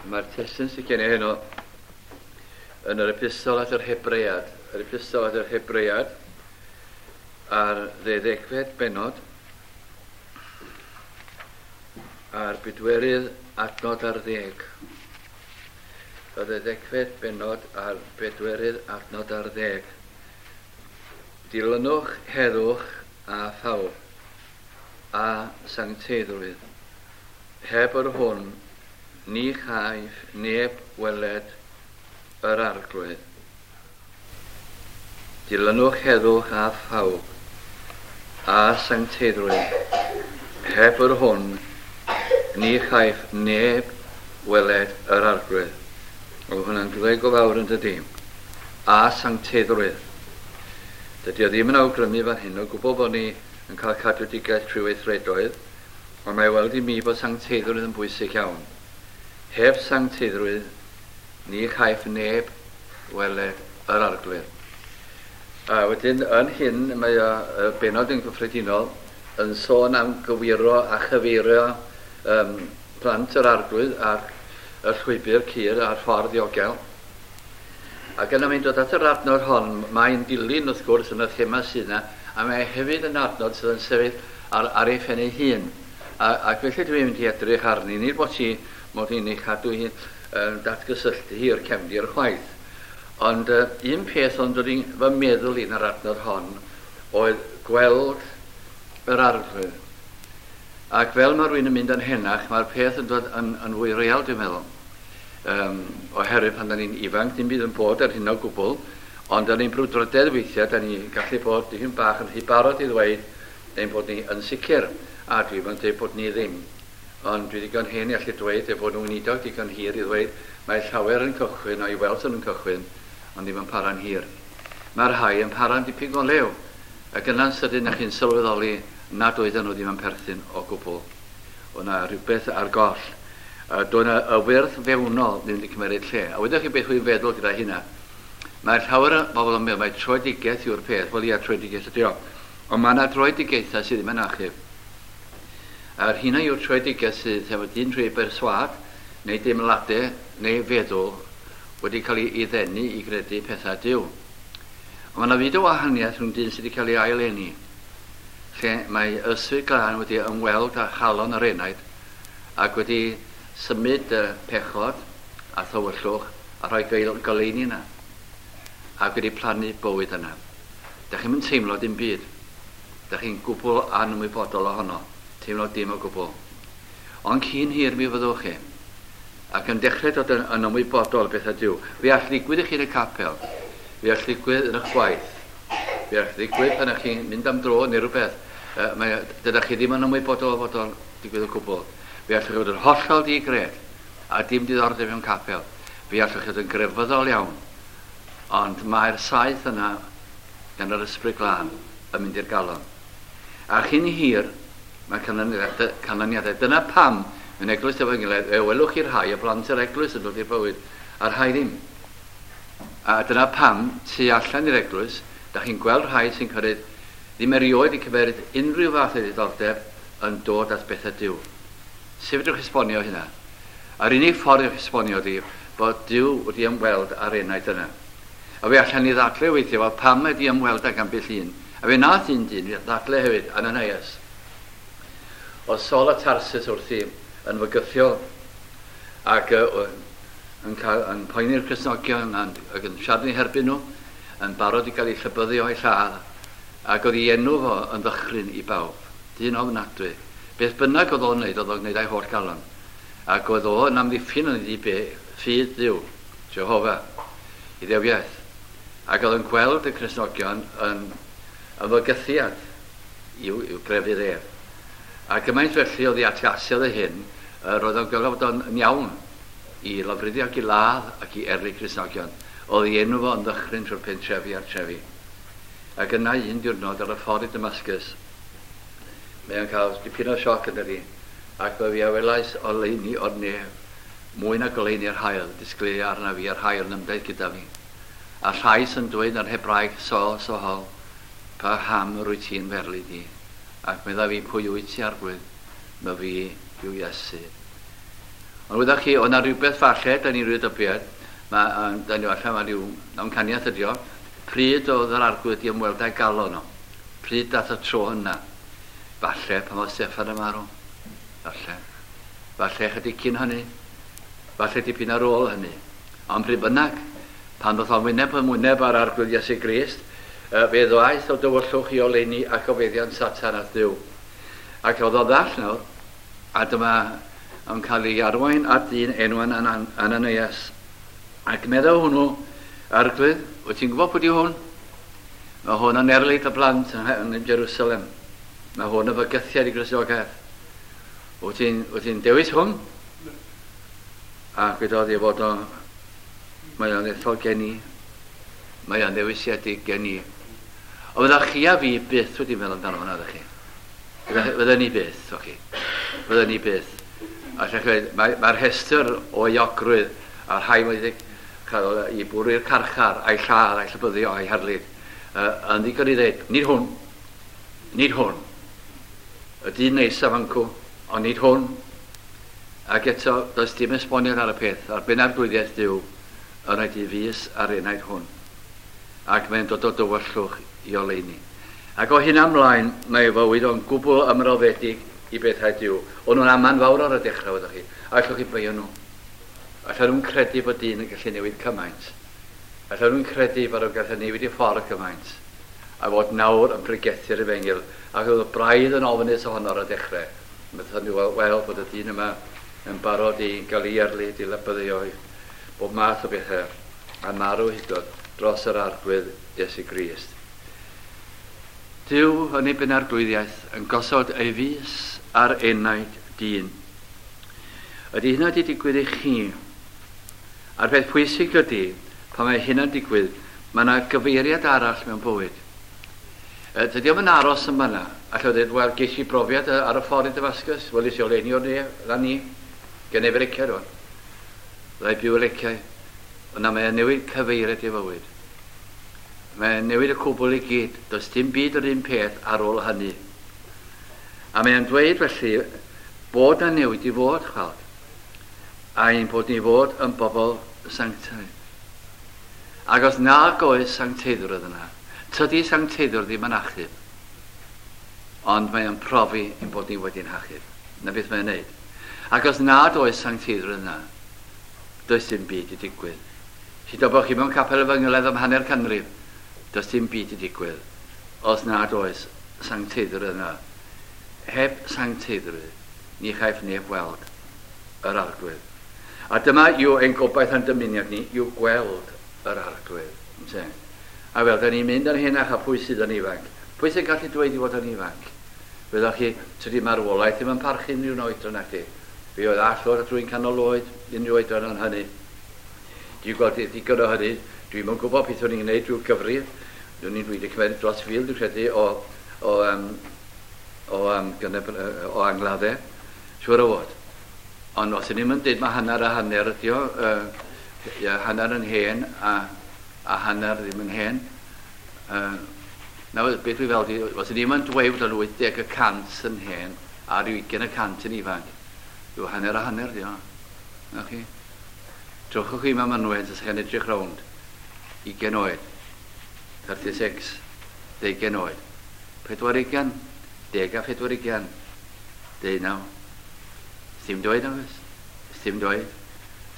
Mae'r testun sydd gen i heno yn yr epistol at yr Hebread. Yr epistol at yr Hebread a'r ddeuddegfed bennod a'r bedwerydd adnod ar ddeg. Y ddeuddegfed bennod a'r bedwerydd adnod ar ddeg. Dilynwch heddwch a phawb a sancteiddrwydd. Heb yr hwn ni chaiff neb weled yr Arglwydd. Dilynwch heddwch a phawb a sancteiddrwydd. Heb yr hwn ni chaiff neb weled yr Arglwydd. Oedd hwnna'n dweud go fawr yn dydi? A sancteiddrwydd. Dydy o ddim yn awgrymu fan hyn o gwbl bod ni yn cael cadwedigaeth trwy weithredoedd, ond mae weld i mi bod sancteiddrwydd yn bwysig iawn. Heb sancteiddrwydd, ni chaiff neb weled yr Arglwydd. A wedyn, yn hyn, mae y bennod yn gyffredinol yn sôn am gywiro a chyfeirio plant yr Arglwydd ar y llwybr cul a'r ffordd ddiogel. Ac yna mae'n dod at yr adnod hon, mae'n dilyn wrth gwrs yn y thema sydd yna, a mae hefyd yn adnod sydd yn sefyll ar, ar ei phen ei hun. A, ac felly dwi'n mynd i edrych arni, nid bod ti mod i'n ei chadw hi yn datgysylltu hi o'r cefndir chwaith. Ond un peth o'n dod i fy meddwl i yn yr adnod hon oedd gweld yr Arglwydd. Ac fel mae rhywun yn mynd yn henach, mae'r peth yn dod yn, yn fwy real, dwi'n meddwl. Um, oherwydd pan da ni'n ifanc, dim byd yn bod ar hyn o gwbl, ond da ni'n brwdfrydedd weithiau, da ni'n gallu bod dipyn bach yn rhy barod i ddweud ein bod ni yn sicr, a dwi'n yn dweud bod ni ddim. Ond dwi ddigon hen i allu dweud ei bod nhw'n weinidog digon hir i ddweud mae llawer yn cychwyn, o'i weld yn cychwyn, ond ddim yn para'n hir. Mae rhai yn para'n dipyn go lew, ac yna'n sydyn na chi'n sylweddoli nad oedden nhw ddim yn perthyn o gwbl. O na rhywbeth ar goll. Doedd 'na y wyrth fewnol ddim wedi cymeryd lle. A wyddoch chi beth wy'n feddwl gyda hynna? Mae llawer o bobl yn meddwl mai troedigaeth yw'r peth. Wel ia, troedigaeth ydy o. Ond mae yna droedigaethau sydd ddim yn achub. A'r hynna yw'r troedigaeth sydd efo dyn trwy ei berswâd, neu deimladau, neu feddwl wedi cael ei ddenu i gredu pethau Duw. Ond mae yna fyd o wahaniaeth rhwng dyn sydd wedi cael ei ail-eni, lle mae Ysbryd Glân wedi ymweld â chalon yr enaid, ac wedi symud y pechod a thywyllwch a rhoi goleuni yna, ac wedi plannu bywyd yna. Da chi'm yn teimlo dim byd. Da chi'n gwbl anymwybodol ohono, teimlo dim o gwbl. Ond cyn hir mi fyddwch chi, ac yn dechrau dod yn, yn ymwybodol o bethau Duw. Fe all ddigwydd i chi yn y capel, fe all ddigwydd yn eich gwaith, fe all ddigwydd pan ych chi'n mynd am dro neu rhywbeth. Mae, dydych chi ddim yn ymwybodol o fod o'n digwydd o gwbl. Fe allwch chi fod yn hollol di-gred a dim diddordeb mewn capel. Fe allwch chi fod yn grefyddol iawn. Ond mae'r saeth yna gan yr Ysbryd Glân yn mynd i'r galon. A chyn hir, mae canlyniadau. canlyniadau. Dyna pam, mewn eglwys Efengylaidd, fe welwch chi rhai o blant yr eglwys yn dod i'r bywyd, a rhai ddim. A dyna pam, tu allan i'r eglwys, da chi'n gweld rhai sy'n cyrraedd ddim erioed 'di cymeryd unrhyw fath o ddiddordeb yn dod at bethau Duw. Sut fedrwch chi esbonio hynna? A'r unig ffordd i'ch esbonio ydi bod Duw wedi ymweld â'r enaid yna. A fe allan ni ddadle weithiau, wel pam mae 'di ymweld ag ambell un? A fe nath un dyn ddadle hefyd, Ananias. Oedd Saul o Tarsus wrthi yn fygythiol ac yn, cael, yn poeni'r Cristnogion ac yn siarad yn eu herbyn nhw, yn barod i gael eu llybyddu o'u lladd. Ac oedd ei enw fo yn ddychryn i bawb. Dyn ofnadwy. Beth bynnag oedd o'n wneud, oedd o'n gwneud â'i holl galon. Ac oedd o yn amddiffyn yn iddi be, ffydd Dduw, Jehofa, Iddewiaeth. Ac oedd yn gweld y Cristnogion yn, yn fygythiad i'w, i'w grefydd ef. A gymaint felly oedd ei atgasiodd ei hyn, yr oedd o'n gweld fod o'n iawn i lofruddio ac i ladd ac i erlid Cristnogion. Oedd ei enw fo yn ddychryn trwy'r pentrefi a'r trefi. Ac yna un diwrnod ar y ffordd i Damascus, mae o'n cael dipyn o sioc yn dydi, ac fe fi a welais oleuni o'r nef, mwy na goleuni'r haul, disgleirio arnaf fi a'r rhai oedd yn ymdaith gyda fi. A llais yn dweud yn Hebraeg, Saul, Saul, pa ham yr wyt ti'n f'erlid i? Ac meddai fi, Pwy wyt ti, Arglwydd? Myfi yw Iesu. Ond wyddach chi, o'na rhywbeth falle, da ni'n rhyw dybiad, da ni falle, mae rhyw amcaniaeth ydi o, pryd oedd yr Arglwydd di ymweld â'i galon o? Pryd dath y tro yna? Falle pan oedd Steffan yn marw. Falle. Falle chydig cyn hynny. Falle dipyn ar ôl hynny. Ond pryd bynnag, pan ddoth o'n wyneb yn wyneb â'r Arglwydd Iesu Grist, fe ddaeth o dywyllwch i oleuni ac o feddiant Satan at Dduw. Ac oedd o ddall nawr, a dyma yn cael ei arwain at ddyn enw Ananias. Ac meddai hwnnw, Arglwydd, wyt ti'n gwybod pwy di hwn? Mae hwn yn erlid y blant yn Jerusalem. Mae hwn yn fygythiad i Gristnogaeth. Wyt ti'n wyt ti dewis hwn? A gwedodd ei fod o, mae o'n ethol gen i, mae o'n ddewisiedig gen i. Ond fydda chi a fi byth wedi meddwl amdano hwnna, ydych chi? Fydda ni byth, o'ch chi? Fydda ni byth. A lle mae'r mae rhestr o euogrwydd a'r rhai wedi cael ei bwrw i'r carchar, a'i lladd, a'i llybyddio, a'i herlid, yn ddigon i ddweud, nid hwn, nid hwn. Y dyn neisaf ancw, ond nid hwn. Ac eto, does dim esboniad ar y peth, ar ben arglwyddiaeth Duw, yn rhaid i fus ar enaid hwn. Ac mae'n dod o dywyllwch i oleuni. Ac o hyn ymlaen, mae ei fywyd o'n gwbl ymroddedig i bethau Duw. O'n nhw'n aman fawr ar y dechrau, ydych chi. A allwch chi beio nhw. Allan nhw'n credu bod dyn yn gallu newid cymaint. Allan nhw'n credu bod nhw'n gallu newid i ffordd cymaint. A fod nawr yn pregethu'r efengyl. Ac oedd y braidd yn ofnus ohono ar y dechrau. Methodd nhw weld bod y dyn yma yn barod i gael ei erlid, i lybyddio, bob math o bethau, a marw hyd yn dros yr Arglwydd Iesu Grist. Duw yn ei benarglwyddiaeth yn gosod ei fys ar enaid dyn. Ydy hynna wedi digwydd i chi? A'r peth pwysig ydy, pan mae hynna'n digwydd, mae yna gyfeiriad arall mewn bywyd. Dydy o'm yn aros yn fanna. Allai ddweud, wel, ges i brofiad ar y ffordd i Damascus, welis i oleuni o'r ne, lan ni, gen i lecia rwan. Fyddai byw y leciau. Yna mae'n newid cyfeiriad i fywyd. Mae'n newid y cwbl i gyd. Does dim byd yr un peth ar ôl hynny. A mae'n dweud felly bod na newid i fod, chweld. A ein bod ni fod yn bobl sanctaidd. Ac os nag oes sancteiddrwydd yna, tydi sancteiddrwydd ddim yn achub. Ond mae'n profi ein bod ni wedi'n hachub. Na beth mae'n neud. Ac os nad oes sancteiddrwydd yna, does dim byd i digwydd. Hyd o bod chi mewn capel efengylaidd am hanner canrif, does dim byd i digwydd os nad oes sancteiddrwydd yna. Heb sancteiddrwydd, ni chaiff neb weld yr Arglwydd. A dyma yw ein gobaith a'n dymuniad ni, yw gweld yr Arglwydd. Ynte? A fel, da ni'n mynd yn henach a pwy sydd yn ifanc? Pwy sy'n gallu dweud i fod yn ifanc? Fyddwch chi, tydi marwolaeth ddim yn parchu unrhyw oedran na chdi. Fi oedd all fod rwy'n canol oed, unrhyw oedran o'n hynny. Dwi'n gweld digon o hynny, dwi'n yn gwybod beth o'n i'n gwneud drwy'r cyfrif. Dwi'n i'n wedi cymryd dros 1,000, dwi'n credu, o angladdau. Siŵr o fod. Ond os ydym yn dweud mae hanner a hanner ydi o, hanner yn hen a hanner ddim yn hen. Nawr, beth dwi fel di, os ydym yn dweud bod o'n 80% yn hen a rhyw 20% yn ifanc, yw hanner a hanner di o. Na chi? Trwchwch chi mewn mynwent os chi'n edrych rownd. 20 oed. 36. 20 oed. 40. 40. 19. Sdim dweud oes? Sdim dweud.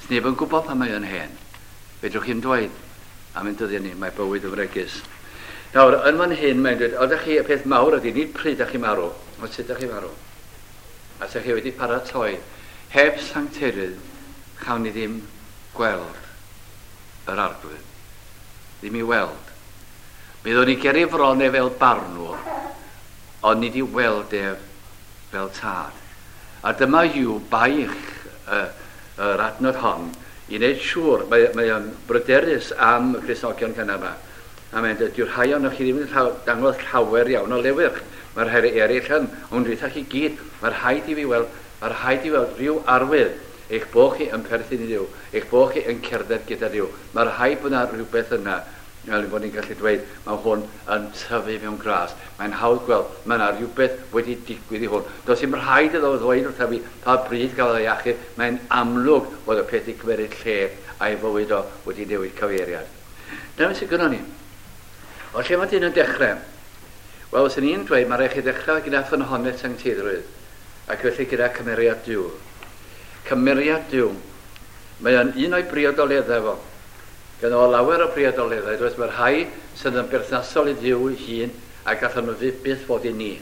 Sneb yn gwybod pan mae o'n hen. Fedrwch chi'n dweud am ein dyddiau ni, mae bywyd yn fregus. Nawr, yn fan hyn mae'n dweud, oeddech chi, y peth mawr ydy, nid pryd ydych chi marw, ond sut ydych chi marw. A sut chi wedi paratoi. Heb sancteiddrwydd, chawn ni ddim gweld yr Arglwydd. Ddim i weld. Mi ddod ni ger ei fron e fel barnwr, ond nid i weld ef fel tad. A dyma yw baich yr adnod hon i wneud siŵr, mae o'n bryderus am y Cristnogion cynnar yma. A mae'n dweud, dyw'r rhai ohonoch chi ddim yn dangos llawer iawn o lewyrch. Mae'r rhai eraill yn, ond dweud chi gyd, mae'r rhaid i fi weld, mae'r rhaid i weld rhyw arwydd eich bod chi yn perthyn i Dduw, eich bod chi yn cerdded gyda Duw. Mae'r rhaid bod yna rhywbeth yna. Fel bod ni'n gallu dweud, mae hwn yn tyfu mewn gras. Mae'n hawdd gweld, mae yna rhywbeth wedi digwydd i hwn. Does dim rhaid iddo ddweud wrtha fi pa bryd gafodd ei achub. Mae'n amlwg bod y peth wedi cymeryd lle a'i fywyd o wedi newid cyfeiriad. Dyna sydd gynnon ni. O lle mae dyn yn dechrau? Wel, os ni'n dweud, mae rhaid chi ddechrau gyda ffynhonnell sancteiddrwydd, ac felly gyda cymeriad Duw. Cymeriad Duw. Mae o'n un o'i briodoleddau fo. Ganddo fo lawer o briodoleddau, does? Mae rhai sydd yn berthnasol i Dduw ei hun a gallan nhw fyth byth fod i ni.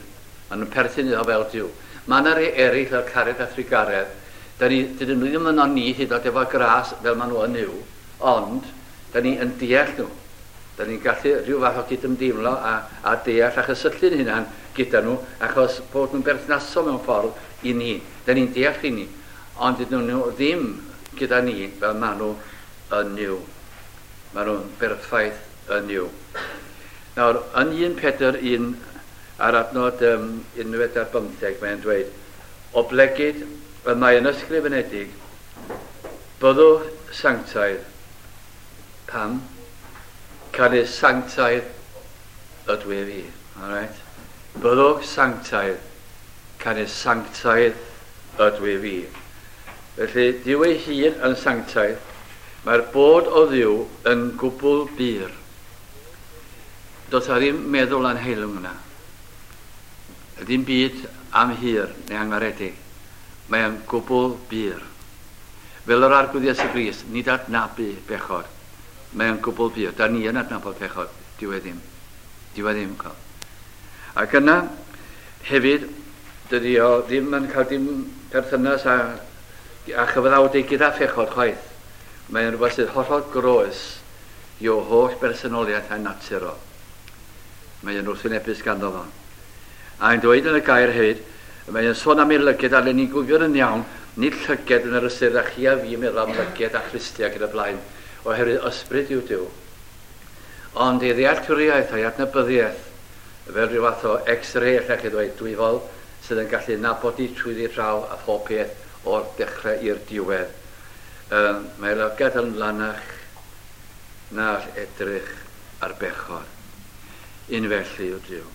Maen nhw'n perthyn iddo fel Duw. Mae yna rhai eraill fel cariad a thrugaredd. Da ni, dydyn nhw ddim yno ni hyd yn oed efo gras fel maen nhw yn Nuw, ond da ni yn deall nhw. Da ni'n gallu rhyw fath o gydymdeimlo a, a deall a chysylltu'n hunan gyda nhw achos bod nhw'n berthnasol mewn ffordd i ni. Da ni'n deall i ni, ond dydyn nhw ddim gyda ni fel maen nhw yn Nuw. Maen nhw'n berffaith yn Nuw. Nawr, yn 1 Pedr 1 ar adnod um, 11, mae'n dweud, Oblegid y mae yn ysgrifenedig, byddwch sanctaidd. Pam? Canys sanctaidd ydw i fi. Alright? Byddwch sanctaidd, canys sanctaidd ydw i fi. Felly, Duw ei hun yn sanctaidd, mae'r bod o Dduw yn gwbl bur. Does a ddim meddwl anheilwng yna. Ddim byd am hir neu angaredig. Mae o'n gwbl bur. Fel yr Arglwydd Iesu Grist, nid adnabu bechod. Mae o'n gwbl bur. Da ni yn adnabod pechod, dyw e ddim. Dyw e ddim, cael. Ac yna, hefyd, dydy o ddim yn cael dim perthynas â, â chyfaddawdu gyda phechod chwaith. Mae'n rhywbeth sydd hollol groes i'w holl bersonoliaeth a'i natur o. Mae yn wrthwynebus ganddo fo. A'n dweud yn y gair hefyd, mae yn sôn am ei lyged, a le ni'n gwybod yn iawn, nid llyged yn yr ystyr a chi a fi yn meddwl am lyged a chlustiau ac yn y blaen, oherwydd ysbryd yw Duw. Ond ei ddealltwriaeth a'i adnabyddiaeth, fel rhyw fath o X-ray allech chi ddweud, dwyfol, sydd yn gallu nabod di trwyddi draw a phob peth o'r dechrau i'r diwedd. Um, mae lygad yn lanach na all edrych ar bechod. Un felly yw Duw.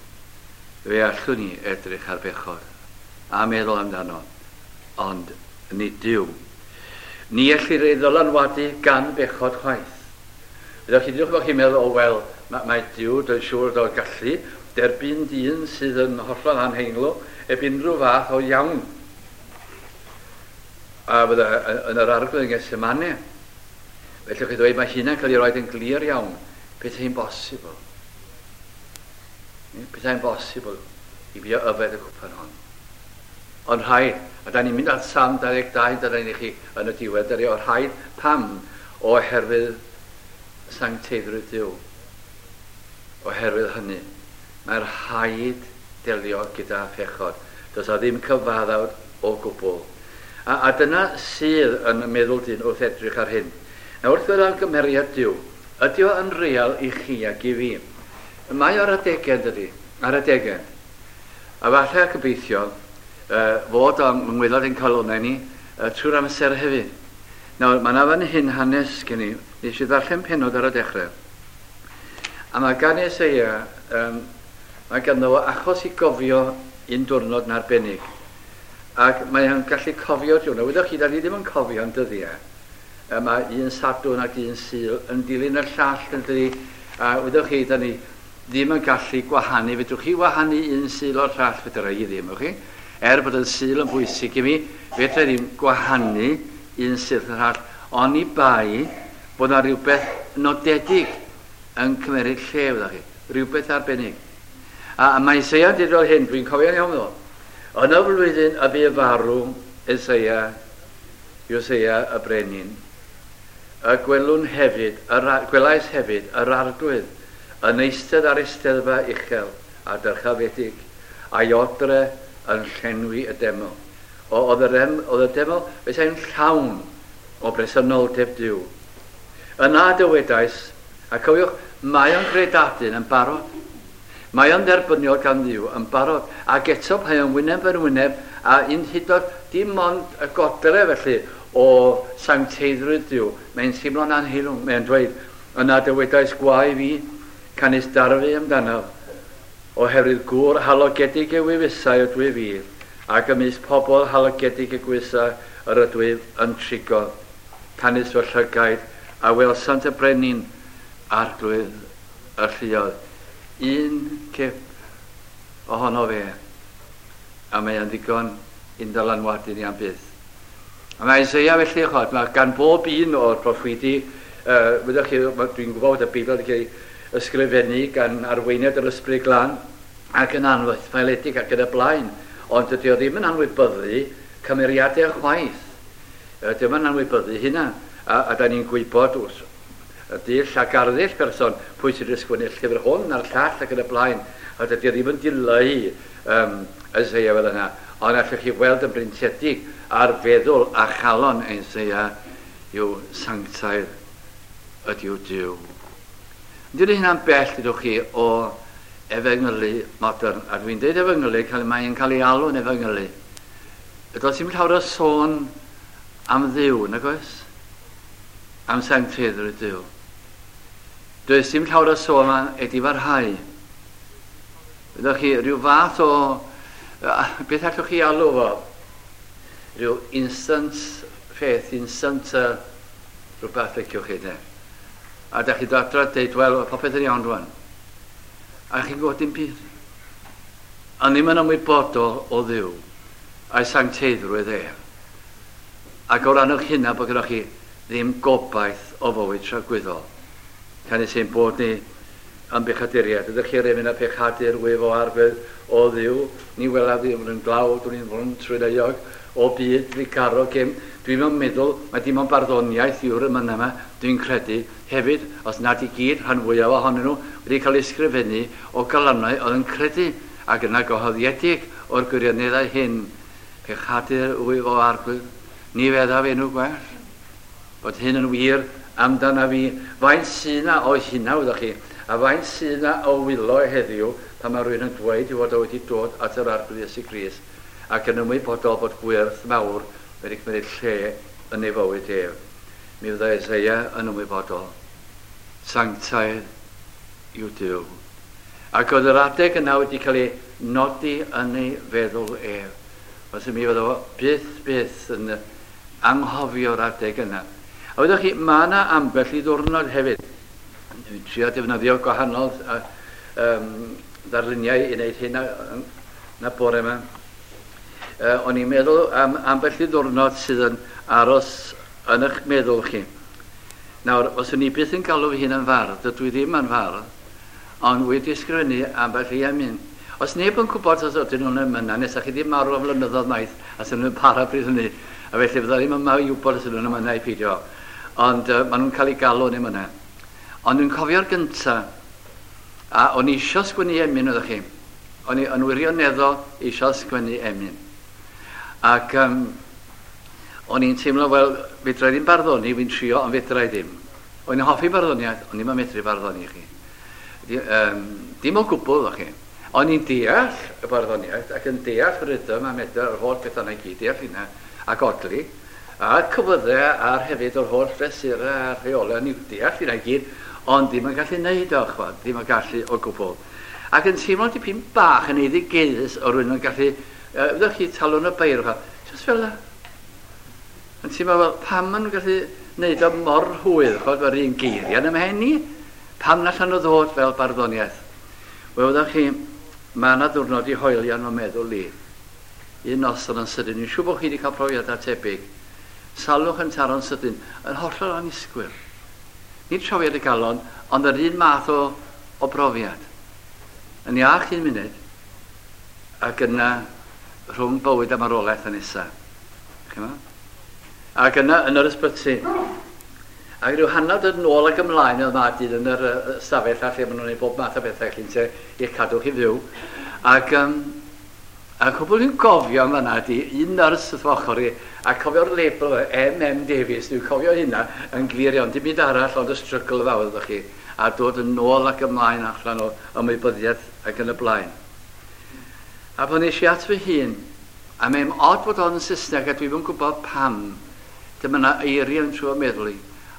Fe allwn ni edrych ar bechod a meddwl amdano, ond nid Duw. Ni ellir ei ddylanwadu gan bechod chwaith. Ydych chi ddewch bod chi'n meddwl, o wel, mae, mae Duw, dwi'n siŵr o'r gallu, derbyn dyn sydd yn hollol anheinglo, heb unrhyw fath o iawn. A fydda yn yr arglwydd yn Gethsemane. Felly chi ddweud, mae hynna'n cael ei roed yn glir iawn. Pethau'n bosibl. Pethau'n bosibl i fi o yfed y cwpan hon. Ond rhaid, a da ni'n mynd at Salm 22, dyna ni chi yn y diwedd, dyna o rhaid pam oherwydd sancteiddrwydd Duw. Oherwydd hynny, mae'r rhaid delio gyda phechod. Does a ddim cyfaddawd o gwbl. A, a dyna sydd yn meddwl dyn wrth edrych ar hyn. Nawr wrth feddwl am gymeriad Duw, ydy o yn real i chi ac i fi? Mae o'r adegau, dydy? Ar adegau. A falle a gobeithio fod o'n ngwaelod ein calonnau ni trwy'r amser hefyd. Nawr, mae yna fan hyn hanes gen i. Nes i ddarllen penod ar y dechrau. A mae gan Eseia, um, mae ganddo fo achos i gofio un diwrnod yn arbennig. Ac mae o'n gallu cofio diwrnod. Wyddoch chi, da ni ddim yn cofio yn dyddiau. Mae un Sadwrn ac un Sul yn dilyn y llall yn dydi. A wyddoch chi, da ni ddim yn gallu gwahanu. Fedrwch chi wahanu un Sul o'r llall? Fedra i ddim, wch chi. Er bod y Sul yn bwysig i mi, fedra i ddim gwahanu un Sul o'r llall, oni bai bod yna rhywbeth nodedig yn cymeryd lle, wyddoch chi. Rhywbeth arbennig. A, a mae Isaiah yn dweud fel hyn, dwi'n cofio'n iawn ddo. Yn y flwyddyn y bu farw Isaiah, Joseia y brenin, y gwelwn hefyd, yr, gwelais hefyd yr arglwydd yn eistedd ar eisteddfa uchel a dyrchafedig, a'i odre yn llenwi y deml. O, oedd yr, oedd y deml, bethau'n llawn o bresenoldeb Duw. Yna dywedais, a cofiwch, mae o'n gredadun yn barod. Mae o'n dderbyniol gan Dduw yn barod, ac eto mae o'n wyneb yn wyneb a un hyd yn dim ond y godre felly o sancteiddrwydd Duw. Mae'n teimlo'n anheilwng, mae'n dweud, Yna dywedais gwae fi, canys darfu amdanaf, oherwydd gŵr halogedig y wefusau ydw i fi, ac ymysg pobl halogedig y gwefusau yr ydwyf yn trigo. Canys fy llygaid a welsant y brenin, arglwydd y lluoedd. Un cip ohono fe, a mae o'n ddigon i'n dylanwadu ni am byth. A mae Isaiah felly, chod, mae gan bob un o'r proffwydi, wyddoch chi, dwi'n gwybod bod y Beibl wedi cael ei ysgrifennu gan arweiniad yr Ysbryd Glân ac yn anffaeledig ac yn y blaen, ond dydy o ddim yn anwybyddu cymeriadau chwaith. Dydy o'm yn anwybyddu hynna, a da ni'n gwybod wrth y dull ac arddull person pwy sydd wedi sgwennu'r llyfr hwn a'r llall ac yn y blaen, a dydy o ddim yn dileu Isaiah fel yna, ond allwch chi weld yn brintiedig ar feddwl a chalon Isaiah yw sanctaidd ydyw Duw. Yn dyn hynna'n bell, dydwch chi, o efengylu modern, a dwi'n deud efengylu, mae'n cael ei alw'n efengylu. Does dim llawer o sôn am Dduw, nag oes? Am sancteiddrwydd Duw. Does dim llawer o sôn am edifarhau. Ydych chi rhyw fath o, beth allwch chi alw fo? Rhyw instant faith, instant rhywbeth liciwch chi, de. A da chi dod adra a deud, wel, popeth yn iawn rwan. A chi'n gwybod dim byd. A ddim yn ymwybodol o Dduw a'i sancteiddrwydd ef. Ac o ran eich hynna bod gyda chi ddim gobaith o fywyd tragwyddol. Canys ein bod ni yn bechaduriaid. Ydych chi'r emyn a pechadur wyf o arglwydd o Dduw, ni welaf ddim yn glawd, dwi'n fwn trwy'n euog o byd ddigarog gem. Dwi'n mewn meddwl, mae dim ond barddoniaeth yw'r emynau yma, dwi'n credu. Hefyd, os nad i gyd, rhan fwyaf ohonyn nhw wedi cael eu ysgrifennu o galonnau oedd yn credu ac yna gyhoeddiedig o'r gwirioneddau hyn. Pechadur wyf o arglwydd, ni feddaf enw gwell. Bod hyn yn wir amdana fi. Faint sydd 'na o hynna, wyddoch chi, a faint sydd 'na o wylo heddiw pan mae rhywun yn dweud ei fod o wedi dod at yr Arglwydd Iesu Grist ac yn ymwybodol bod gwyrth mawr wedi cymryd lle yn ei fywyd ef. Mi fyddai Isaiah yn ymwybodol. Sanctaidd yw Duw. Ac oedd yr adeg yna wedi cael ei nodi yn ei feddwl ef. Os mi fydda fo byth, byth yn anghofio'r adeg yna. A wyddoch chi, mae yna ambell i ddiwrnod hefyd. Dwi'n trio defnyddio gwahanol ddarluniau i wneud hyn na bore yma. O'n i'n meddwl am ambell i ddiwrnod sydd yn aros yn eich meddwl chi. Nawr, os o'n i byth yn galw fy hun yn fardd, dydw i ddim yn fardd, ond wedi ysgrifennu ambell i emyn. Os neb yn gwybod os ydyn nhw'n emynau, nes chi ddim marw am flynyddoedd maith, a sy'n nhw'n para bryd hynny, a felly fydda ddim yma i wybod os ydyn nhw'n emynau i peidio. Ond maen nhw'n cael eu galw yn emynau. Ond dwi'n cofio'r gynta, a o'n i eisiau sgwennu emyn, oeddech chi. O'n i yn wirioneddol eisiau sgwennu emyn. Ac o'n i'n teimlo, wel, fedra i ddim barddoni, fi'n trio, ond fedra i ddim. O'n i'n hoffi barddoniaeth, ond ddim yn medru barddoni chi. Dim o gwbl, o'ch chi. O'n i'n deall y barddoniaeth ac yn deall rhythm a medr yr holl bethau yna i gyd, deall hynna ac odli, a'r cywyddau a'r hefyd o'r holl fesurau a'r rheolau, o'n i'n deall hynna i gyd, ond ddim yn gallu neud o, chwad, ddim yn gallu o gwbl. Ac yn teimlo dipyn bach yn eiddigeddus o rywun yn gallu, fyddwch chi talwn y beirdd, just fel yna. Yn teimlo fel, pam maen nhw'n gallu neud o mor rhwydd, chwad, mae'r un geiriau yn ymhen i, pam na allan nhw ddod fel barddoniaeth? Wel, fyddwch chi, mae yna ddiwrnod i hoelio yn fy meddwl i. Un noson yn sydyn, dwi'n siŵr bod chi wedi cael profiadau tebyg. Salwch yn taro'n sydyn, yn hollol annisgwyl. Nid profiad y galon, ond yr un math o brofiad. Yn iach un munud, ac yna rhwng bywyd a marwolaeth yn nesa. Chi'mo? Ac yna yn yr ysbyty. Ac rhyw hanner dod nôl ac ymlaen oedd ma dyn yn yr ystafell a lle maen nhw'n gwneud bob math o bethau chi'n te i'ch cadw chi fyw. Ac a cwbl dwi'n gofio am fanna ydi un nyrs wrth fy ochr i, a cofio'r label M.M. Davies, dwi'n cofio hynna yn glir iawn, dim byd arall ond y strygl fawr ydych chi, a dod yn ôl ac ymlaen allan o ymwybyddiaeth ac yn y blaen. A pan nes i at fy hun, a mae'n od bod o'n Saesneg a dwi'm yn gwybod pam, dyma 'na eiriau yn trwy meddwl i.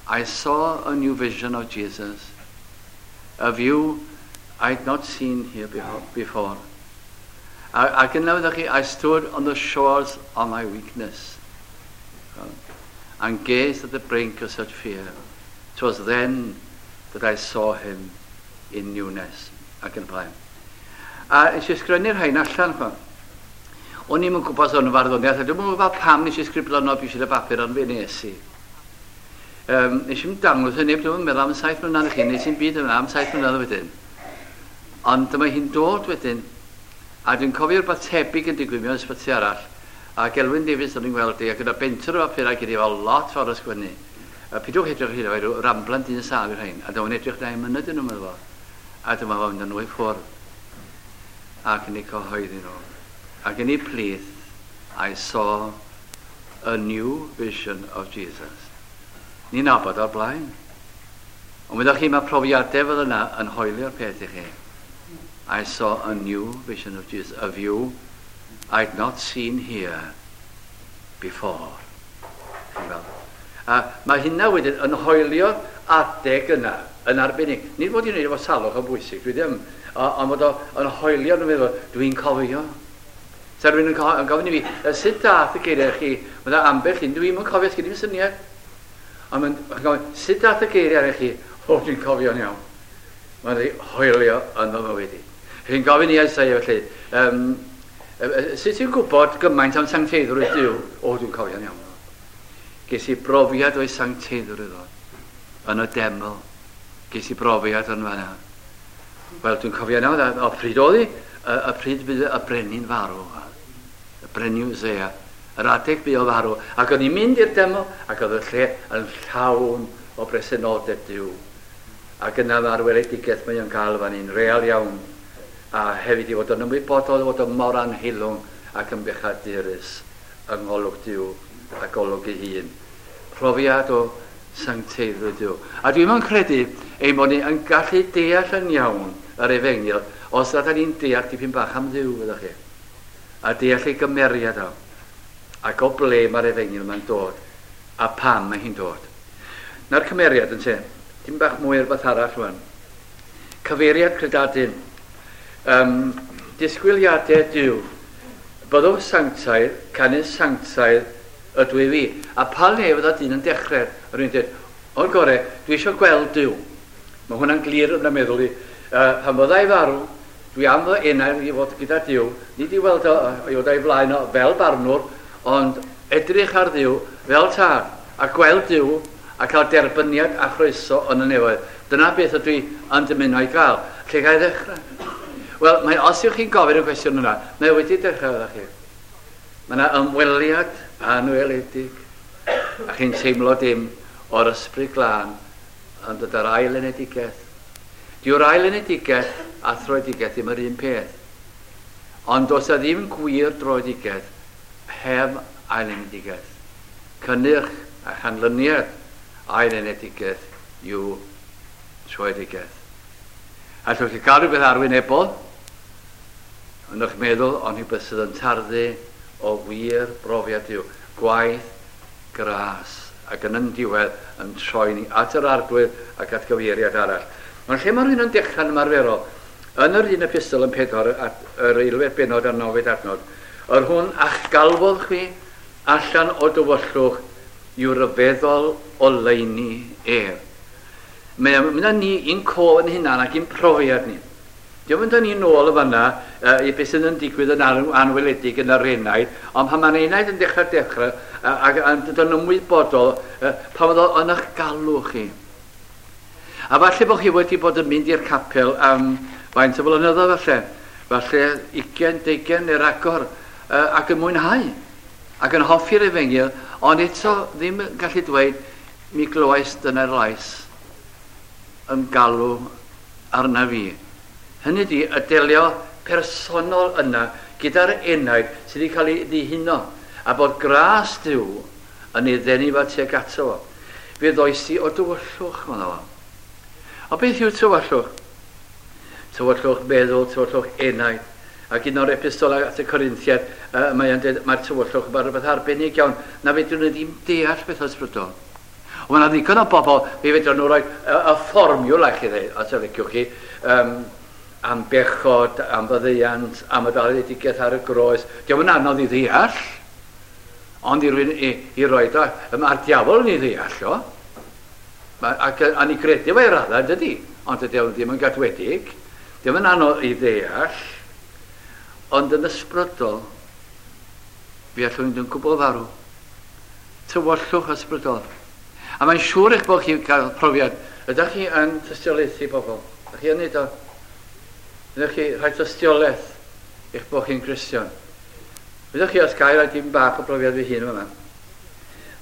I saw a new vision of Jesus, a view I'd not seen here before. Ac yna fyddwch chi, I stood on the shores of my weakness and gazed at the brink of such fear. 'Twas then that I saw him in newness. Ac yn y blaen. A nes i ysgrifennu'r rhain allan. Chwa. O'n i'm yn gwybod os o'n farddoniaeth, a dwi'm yn gwybod pam nes i sgriblo nhw bwysig y bapur, ond fe nes i. Nes i'm dangos hynny, dwi'n meddwl am 7 mlynedd i chi, nes i'm byd yma am 7 mlynedd wedyn. Ond dyma hi'n dod wedyn, a dwi'n cofio rhywbeth tebyg yn digwydd mewn ysbyty arall, a Gelwyn Davies o'n i'n gweld i, ac yna bentwr o bapurau gyda fo lot fawr o sgwennu. A pidwch edrych hyd o rhyw ramblan dyn sâl i'r rhain, a dyma'n edrych na i mynyd yn nhw'n meddwl fo. A dyma fo'n mynd â nhw i ffwrdd, ac yn eu cyhoeddi nhw. Ac yn eu plith, I saw a new vision of Jesus. Ni'n nabod o'r blaen. Ond wyddoch chi, mae profiadau fel yna yn hoelio'r peth i chi. I saw a new vision of Jesus, a view I'd not seen here before. Chi'n gweld? A mae hynna wedyn yn hoelio'r adeg yna yn arbennig. Nid fod i'n gwneud efo salwch o bwysig, dwi ddim, ond fod o yn hoelio yn meddwl, dwi'n cofio. Sa rhywun yn gofyn i fi, sut dath y geiriau chi? Mae yna ambell un, dwi'n yn cofio, sgyn i'm syniad. Ond mae'n gofyn, sut dath y geiriau chi? O, dwi'n cofio'n iawn. Mae'n rhaid hoelio yn fy mywyd i. Chi'n gofyn i Isaiah felly, sut ti'n gwybod gymaint am sancteiddrwydd Duw? O, dwi'n cofio'n iawn. Ges i brofiad o'i sancteiddrwydd o yn y deml. Ges i brofiad yn fanna. Wel, dwi'n cofio nawr, o pryd oedd hi? Y pryd bydd y brenin farw. Y brenin Uzziah. Yr adeg bu o farw. Ac o'n i'n mynd i'r deml, ac oedd y lle yn llawn o bresenoldeb Duw. Ac yna mae'r weledigaeth mae o'n cael fan hyn, real iawn. A hefyd i fod yn ymwybodol fod o'n mor anheilwng ac yn bechadurus yng ngolwg Duw a golwg ei hun. Profiad o sancteiddrwydd Duw. A dwi'n yn credu ein bod ni yn gallu deall yn iawn yr efengyl os ydyn ni'n deall dipyn bach am Dduw, fyddwch chi. A deall ei gymeriad o. Ac o ble mae'r efengyl mae'n dod. A pam mae hi'n dod. Na'r cymeriad yn te. Dim bach mwy o'r beth arall rwan. Cyfeiriad credadun. Disgwyliadau Duw. Byddwch sanctaidd, canu sanctaidd ydw i fi. A pa le fydda dyn yn dechrau? Rwy'n dweud, o'r gore, dwi eisiau gweld Duw. Mae hwnna'n glir yn y meddwl i. Pan fydda i farw, dwi am fy enau i fod gyda Duw. Nid i weld o, i fod o'i flaen o fel barnwr, ond edrych ar Dduw fel tad, a gweld Duw a cael derbyniad a chroeso yn y nefoedd. Dyna beth ydw i yn dymuno i gael. Lle ga i ddechrau? Wel, mae, os yw'ch chi'n gofyn y cwestiwn yna, mae wedi dechrau efo chi. Mae yna ymweliad anweledig, a chi'n teimlo dim o'r ysbryd glân yn dod ar ail enedigaeth. Dyw'r ail enedigaeth a throedigaeth ddim yr un peth. Ond does 'na ddim gwir droedigaeth heb ail enedigaeth. Cynnyrch a chanlyniad ail enedigaeth yw troedigaeth. Allwch chi gael rhywbeth arwynebol yn eich meddwl, ond rhywbeth sydd yn tarddu o wir brofiad Duw. Gwaith gras ac yn yn diwedd yn troi ni at yr Arglwydd ac at gyfeiriad arall. Ond lle mae rhywun yn dechrau'n ymarferol? Yn yr un epistol yn 4, at yr eilfed bennod a'r nawfed adnod, yr hwn a'ch galwodd chwi allan o dywyllwch i'w ryfeddol oleuni ef. Mae o'n mynd â ni i'n cof yn hunan ac i'n profiad ni. Diolch mynd â ni nôl y fanna i beth sydd yn digwydd yn anweledig yn yr enaid, ond pan mae'r enaid yn dechrau ac yn dod yn ymwybodol, pan fod o yn eich galw chi. A falle bod chi wedi bod yn mynd i'r capel am faint o flynyddoedd falle, falle 20, 20 neu ragor, ac yn mwynhau, ac yn hoffi'r efengyl, ond eto ddim yn gallu dweud, mi glywais dyna'r lais yn galw arna fi. Hynny ydi, y delio personol yna gyda'r enaid sydd wedi cael ei ddihuno, a bod gras Duw yn ei ddenu fo tuag ato fo. Fe ddoes i o dywyllwch, maddo fo. O beth yw tywyllwch? Tywyllwch meddwl, tywyllwch enaid. Ac un o'r epistolau at y Corinthiaid, mae'n dweud, mae'r tywyllwch yn rhywbeth arbennig iawn, na fedrwn ni ddim deall beth ysbrydol. Mae yna ddigon o bobl, fe fedrwn nhw roi y fformiwla chi ddweud, os y liciwch chi, am bechod, am faddeuant, am y daledigaeth ar y groes. Dio'm yn anodd i ddeall, ond i rywun i, i roed o, mae'r diafol yn ei ddeall o. Mae, ac a ni gredu fe i raddau, dydy, ond dydy o ddim yn gadwedig. Dio'm yn anodd i ddeall, ond yn ysbrydol, fi allwn fynd yn gwbl farw. Tywyllwch ysbrydol. A mae'n siŵr eich bod chi'n cael profiad. Ydych chi yn tystiolaethu bobl? Ydych chi yn neud o? Ydych chi rhoi tystiolaeth eich bod chi'n Gristion? Ydych chi os gael rhoi dim bach o brofiad fy hun yma?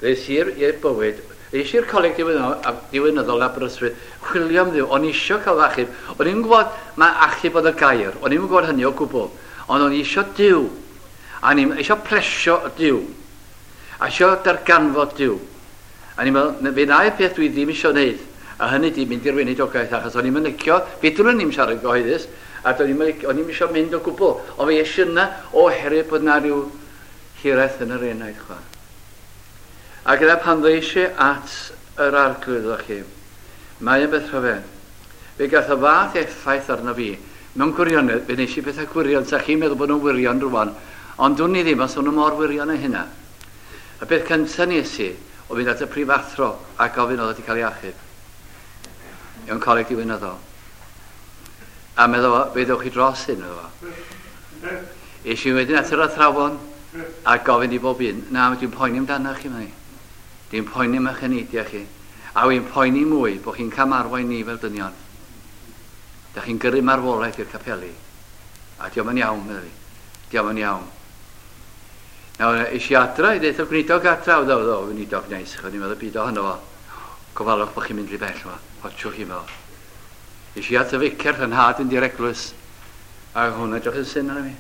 Ddes i'r i'r bywyd, ddes i'r coleg diwinyddol Aberystwyth, chwilio am Dduw, o'n i isio cael fy achub. O'n i'n gwybod mae achub oedd y gair, o'n i'n gwybod hynny o gwbl, ond o'n i isio Duw. A o'n i'n eisiau plesio Duw. A isio darganfod Duw. A o'n i'n meddwl, fe wna i'r peth dwi ddim eisiau wneud, a hynny di mynd i'r weinidogaeth, achos o'n i'n licio, fedrwn ni'm siarad gyhoeddus, a do'n i'm o'n i'm eisiau mynd o gwbl. Ond fe es i yna oherwydd bod na rhyw hiraeth yn yr enaid, chwa. A gyda pan ddeis i at yr Arglwydd, ydych chi, mae yn beth rhyfedd. Fe gath y fath effaith arno fi. Mewn gwirionedd, fe wnes i bethau gwirion, sa chi'n meddwl bod nhw'n wirion rwan, ond dwn i ddim os o'n nhw mor wirion â hynna. Y peth cyntaf nes i, oedd mynd at y prifathro a gofyn oedd wedi cael ei achub. Mewn coleg diwinyddol. A meddwl fo, fe ddewch chi dros hyn, meddwl fo. Es i wedyn at yr athrawon a gofyn i bob un, na, dwi'n poeni amdano chi, meddwl. Dwi'n poeni am eich eneidiau chi. A wy'n poeni mwy bod chi'n camarwain ni fel dynion. Da chi'n gyrru marwolaeth i'r capeli. A diolch yn iawn, meddwl fi. Diolch yn iawn. Nawr, es i adra i ddeud y gweinidog adra, oedd o, weinidog neis, o'n i'n meddwl byd ohono fo. Gofalwch bod chi'n mynd rhy bell, fo. Watchwch chi, meddwl. Es i at y ficer, fy nhad yn di'r eglwys, a hwnna edrych yn syn arno fi.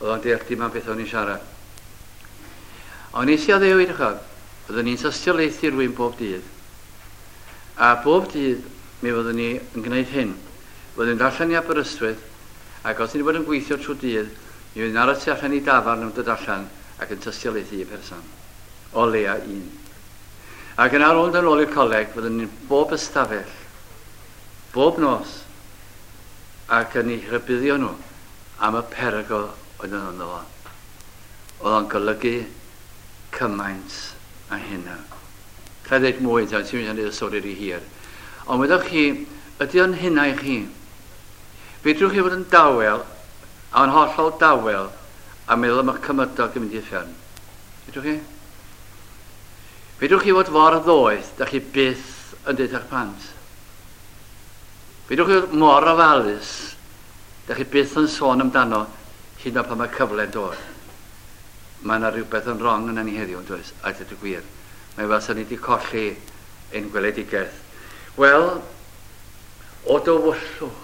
Oedd o'n deall dim am beth o'n i'n siarad. Ond nes i addewid, chod, byddwn ni'n tystiolaethu rhywun bob dydd. A bob dydd mi fyddwn ni yn gwneud hyn. Byddwn ni'n allan i Aberystwyth, ac os ni wedi bod yn gweithio trwy dydd, mi fyddwn ni'n aros tu allan i dafarn yn dod allan ac yn tystiolaethu i person. O leia un. Ac yn ar ôl yn ôl i'r coleg, fyddwn ni'n bob ystafell, bob nos, ac yn eu rhybuddio nhw am y perygl oedd yn ynddo fo. Oedd o'n golygu cymaint a hynna. Alla i ddeud mwy, ti'n mynd i wneud y stori rhy hir. Ond wyddoch chi, ydy o'n hynna i chi? Fedrwch chi fod yn dawel, a yn hollol dawel, a meddwl am eich cymydog yn mynd i uffern? Fedrwch chi? Fedrwch chi fod mor ddoeth, da chi byth yn deud eich plant? Fedrwch chi fod mor ofalus, da chi byth yn sôn amdano hyd yn oed pan mae cyfle'n dod? Mae yna rhywbeth yn wrong yna ni heddiw, yn does? A dweud y gwir. Mae fel sa ni wedi colli ein gweledigaeth. Wel, o dywyllwch.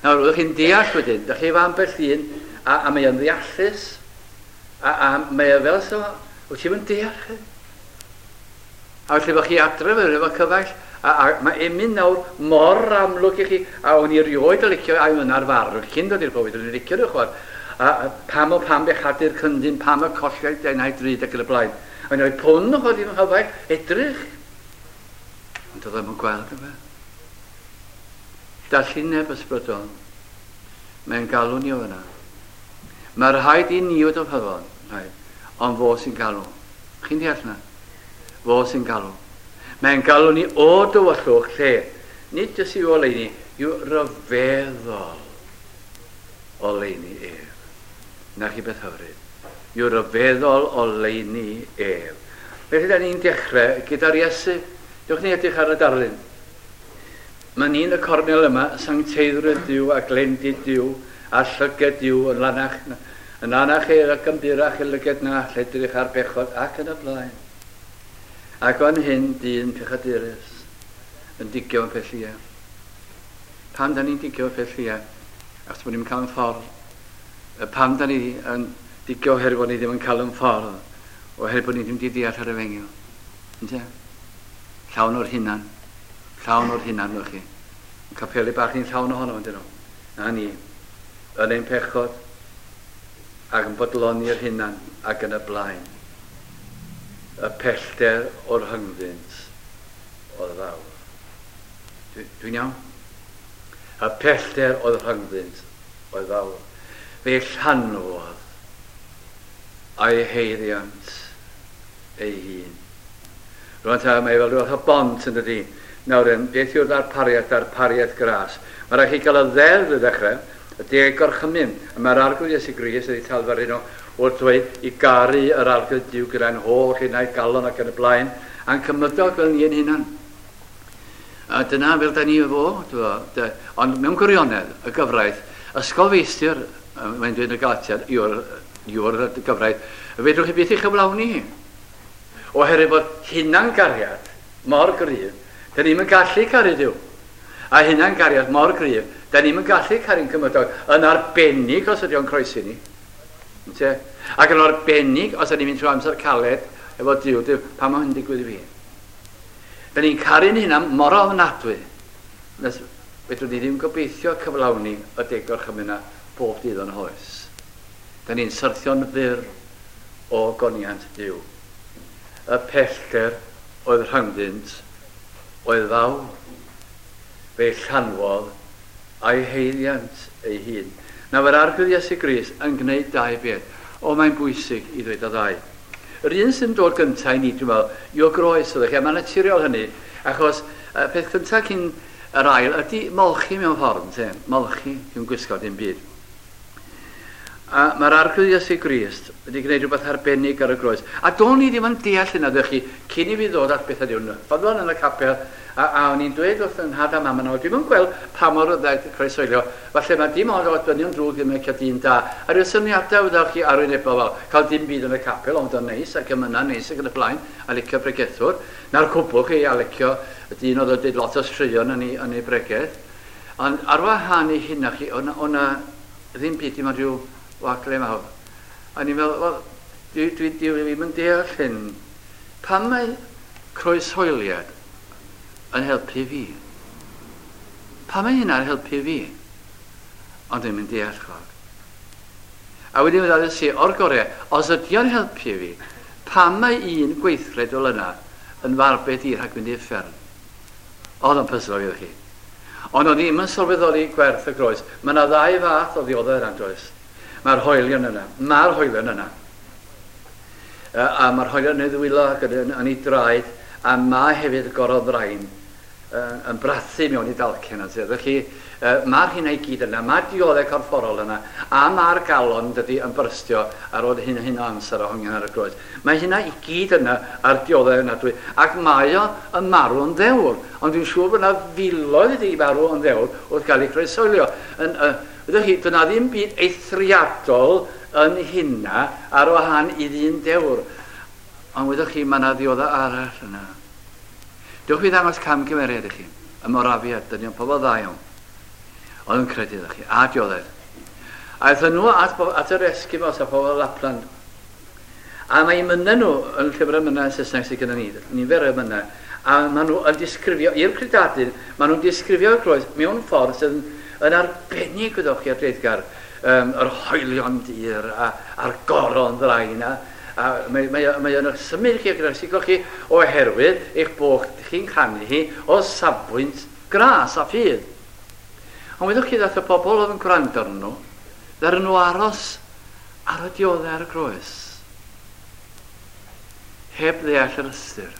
Nawr, ydych chi'n deall wedyn, ydych chi efo ambell un, a mae o'n ddeallus, a mae o fel so, wyt ti'n deall chi? A felly bod chi adre efo cyfaill, a mae emyn nawr mor amlwg i chi, a o'n i erioed yn licio, a o'n ar farw, cyn dod i'r bywyd, o'n i'n licio nhw chwar, a pam o pam bechadur cyndyn, pam y colliau denau drud ac yn y blaen. O'n i'n rhoi pwn chwar i'n nghyfaill, edrych. Ond oedd o'n gweld yma. Dallineb ysbrydol. Mae'n galw ni o fyna. Mae rhaid i ni fod yn ffyddlon, rhaid. Ond fo sy'n galw. Chi'n deall na? Fo sy'n galw. Mae'n galw ni o dywyllwch lle. Nid jyst i'w oleuni, i'w ryfeddol oleuni ef. Na chi beth hyfryd. I'w ryfeddol oleuni ef. Felly da ni'n dechrau gyda'r Iesu. Dewch ni edrych ar y darlun. Mae ni'n y cornel yma, sancteiddrwydd Duw a glendid Duw a llyged Duw yn lanach, yn lanach i'r ac yn burach i lyged na all edrych ar bechod ac yn y blaen. Ac fan hyn, dyn pechadurus yn digio yn peth llia. Pam da ni'n digio yn peth llia? Achos bod ni'n cael yn ffordd. Pam da ni yn digio oherwydd bod ni ddim yn cael yn ffordd? Oherwydd bod ni ddim wedi deall yr efengyl. Ynte? Llawn o'r hunan. Llawn o'r hunan, wch chi. Yn capeli bach ni'n llawn ohono, ydyn nhw. Na ni. Yn ein pechod ac yn bodloni'r hunan ac yn y blaen. Y pellter o'r rhyngddynt oedd fawr. Dwi'n iawn? Y pellter oedd rhyngddynt oedd fawr. Fe llanwodd a'i heiddiant ei hun. Rwan ta, mae fel rhywbeth o bont yn dydi. Nawr, beth yw'r ddarpariaeth, darpariaeth gras? Mae rhaid chi gael y ddeddf i ddechrau, y deg gorchymyn. A mae'r Arglwydd Iesu Grist wedi talfaru nhw wrth dweud i garu yr Arglwydd Duw gyda'n holl enaid, galon ac yn y blaen, a'n cymydog fel ni ein hunan. A dyna fel da ni fod, ond mewn gwirionedd, y gyfraith, ysgolfeistr, mae'n dweud yn y Galatiad, yw'r yw'r gyfraith, fedrwch chi byth ei chyflawni hi. Oherwydd bod hunangariad mor gryf, da ni'm yn gallu caru Duw. A hunangariad mor gryf, da ni'm yn gallu caru'n cymydog, yn arbennig os ydy o'n croesi ni. Ynte? Ac yn arbennig os ydy ni'n mynd trwy amser caled efo Duw, Duw, pam mae hyn digwydd i fi? Da ni'n caru'n hunan mor ofnadwy, nes fedrwn ni ddim gobeithio cyflawni y deg gorchymyn yna bob dydd o'n hoes. Da ni'n syrthio'n fyr o goniant Duw. Y pellter oedd rhyngddynt oedd fawr. Fe'i llanwodd a'i haeddiant ei hun. Nawr mae'r Arglwydd Iesu Grist yn gwneud dau beth. O, mae'n bwysig i ddweud y ddau. Yr un sy'n dod gyntaf i ni, dwi'n meddwl, yw'r groes, ydych chi, a mae'n naturiol hynny, achos y peth cyntaf cyn yr ail ydy molchi mewn ffordd, ynte? Molchi, ddim gwisgo dim byd. A mae'r Arglwydd Iesu Grist wedi gwneud rhywbeth arbennig ar y groes. A do'n i ddim yn deall hynna, ddech chi, cyn i fi ddod at bethau Duw. Ffyddlon yn y capel, a, a o'n i'n dweud wrth yn nhad a mam yno, dwi'm yn gweld pa mor dda croeshoelio, falle mae dim ond o dynion drwg ddim yn licio dyn da. A rhyw syniadau, wyddoch chi, arwynebol fel cael dim byd yn y capel, ond o'n neis ac emynau neis ac yn y blaen, a licio pregethwr. Na'r cwbl chi, a licio y dyn oedd yn dweud lot o straeon yn ei, yn ei bregeth. Ond ar wahân i hynna chi, o'na, o'na ddim byd, dim ond rhyw wagle mawr. A ni'n meddwl, wel, dwi, dwi, dwi ddim yn deall hyn. Pam mae croeshoeliad yn helpu fi? Pam mae hynna'n helpu fi? Ond ddim yn deall, chwag. A wedyn fe i, o'r gorau, os ydy o'n helpu fi, pam mae un gweithred fel yna yn farbed i rhag mynd i'r uffern? Oedd o'n pyslo fi, chi. Ond o'n i ddim yn sylweddoli gwerth y groes. Mae yna ddau fath o ddioddef yna, does? Mae'r hoelion yna. Mae'r hoelion yna. A mae'r hoelion yn ei ddwylo ac yn, yn ei draed, a mae hefyd gorodd-ddrain yn brathu mewn i dalcen. Felly, mae'r hynna i gyd yna, mae'r dioddef corfforol yna, a mae'r galon dydy yn byrstio ar ôl hyn, hyn o amser o hongian ar y groes. Mae hynna i gyd yna a'r dioddef yna dwi, ac mae o yn marw yn ddewr. Ond dwi'n siŵr bod yna filoedd wedi marw yn ddewr wrth gael eu croeshoelio. Yn, ydych chi, dyna ddim byd eithriadol yn hynna ar wahân i ddyn dewr. Ond wyddoch chi, mae yna ddioddef arall yna. Dewch i ddangos camgymeriad i chi. Y Morafiad, dynion pobl dda iawn. Oedd yn credu iddo chi, a dioddef. Aethon nhw at, at yr Eskimos a pobl Lapland. A mae emynau nhw yn llyfr emynau Saesneg sydd gyda ni, nifer o emynau, a maen nhw yn disgrifio, i'r credadun, maen nhw'n disgrifio'r groes mewn ffordd sydd yn, yn arbennig, wyddoch chi, ar dreiddgar, um, yr hoelion dir a, a'r goron ddrain a, a mae, mae, mae o'n symud chi ac yn siglo chi oherwydd eich bod chi'n canu hi o safbwynt gras a ffydd. Ond wyddoch chi ddath y pobl oedd yn gwrando arnyn nhw, ddaru nhw aros ar y dioddau ar y groes, heb ddeall yr ystyr.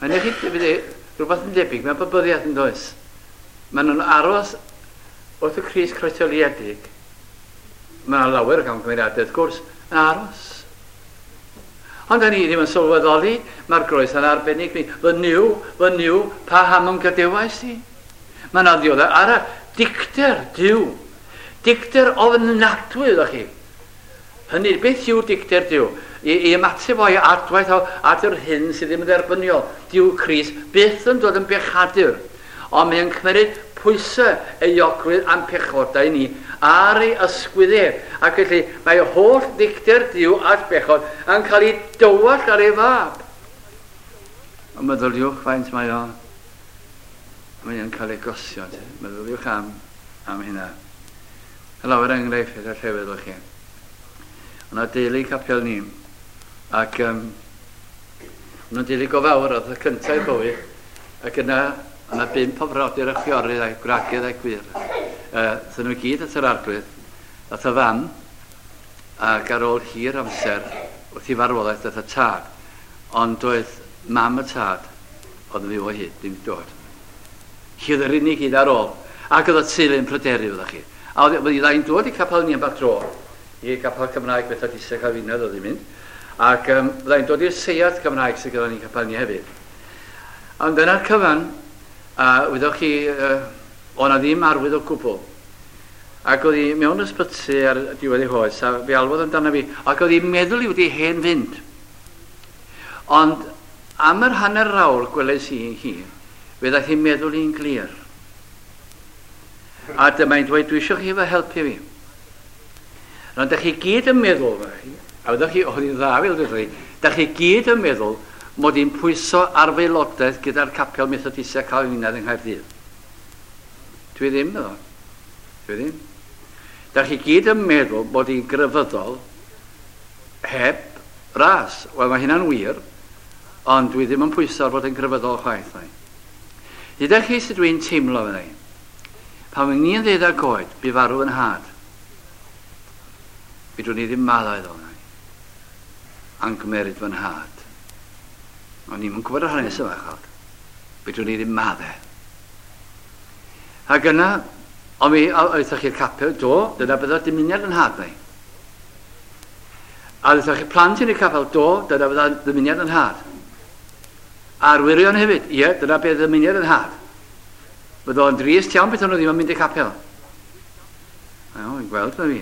Mae'n eich rhywbeth yn debyg mewn pabyddiaeth yn does? Maen nhw'n aros wrth y Crist croeshoeliedig. Mae yna lawer o gamgymeriadau, wrth gwrs, yn aros. Ond da ni ddim yn sylweddoli, mae'r groes yn arbennig ni. Fy Nuw, fy Nuw, paham y'm gadewais di? Mae yna ddioddef arall, dicter Duw. Dicter ofnadwy, ydych chi. Hynny, beth yw dicter Duw? I, i ymateb o'i adwaith o, at yr hyn sydd ddim yn dderbyniol. Dyw Crist byth yn dod yn bechadur, ond mae'n cymryd pwysau euogrwydd am pechodau ni ar ei ysgwydd ef. Ac felly mae holl ddicter Duw at bechod yn cael ei dywallt ar ei fab. Ond meddyliwch faint mae o mae o'n cael ei gosio. Meddyliwch am, am hynna. Lawer enghraifft y llefydd o'ch chi. Yna deulu capel ni. Ac nhw'n deulu go fawr, oedd y cyntaf i bywyd. Ac yna, yna 5 o frodyr a chwiorydd a'i gwragedd a'i gwir. Dyn nhw gyd at yr Arglwydd. Dath y fam, ac ar ôl hir amser, wrth i farwolaeth, dath y tad. Ond doedd mam y tad, oedd yn fyw o hyd, ddim dod. Hi oedd yr unig un ar ôl. Ac oedd y teulu yn pryderu, fyddech chi. A oedd hi'n dod i capel ni am bach dro, i gapel Cymraeg Methodistaidd Calfinaidd oedd hi'n mynd. Ac byddai'n dod i'r seiat Cymraeg sydd gyda ni'n capel ni hefyd. Ond dyna'r cyfan, a wyddoch chi, o'na ddim arwydd o gwbl. Ac oedd hi mewn ysbyty ar diwedd ei hoes, a fe alwodd amdano fi, ac oedd hi'n meddwl i wedi hen fynd. Ond am yr hanner awr gweles i hi, fe ddaeth hi'n meddwl i'n glir. A dyma hi'n dweud, dwi eisiau chi fy helpu fi. Ond da chi gyd yn meddwl, a wyddoch chi, oedd hi'n dda fel dweud chi, da chi gyd yn meddwl mod i'n pwyso ar feilodaeth gyda'r capel Methodistaidd Calfinaidd yng Nghaerdydd. Dwi ddim, meddwl. Dwi ddim. Da chi gyd yn meddwl mod i'n grefyddol heb ras. Wel, mae hynna'n wir, ond dwi ddim yn pwyso ar fod yn grefyddol chwaith. Dydych chi sut dwi'n teimlo fe ddau. Pan fy ni'n 12 oed, bu farw yn nhad. Fedrwn ni ddim maddau iddo fe. A'n gymeryd fy nhad. O'n i'm yn gwybod yr hanes yma, chawd. Fedrwn ni ddim maddau. Ac yna, ond mi aethoch chi'r capel, do, dyna bydda dymuniad yn nhad neu. A aethoch chi plant yn y capel, do, dyna bydda dymuniad yn nhad. A'r wyrion hefyd, ie, dyna beth ddymuniad yn nhad. Bydda o'n drist iawn beth o'n nhw ddim yn mynd i'r capel. Iawn, fi'n gweld na fi.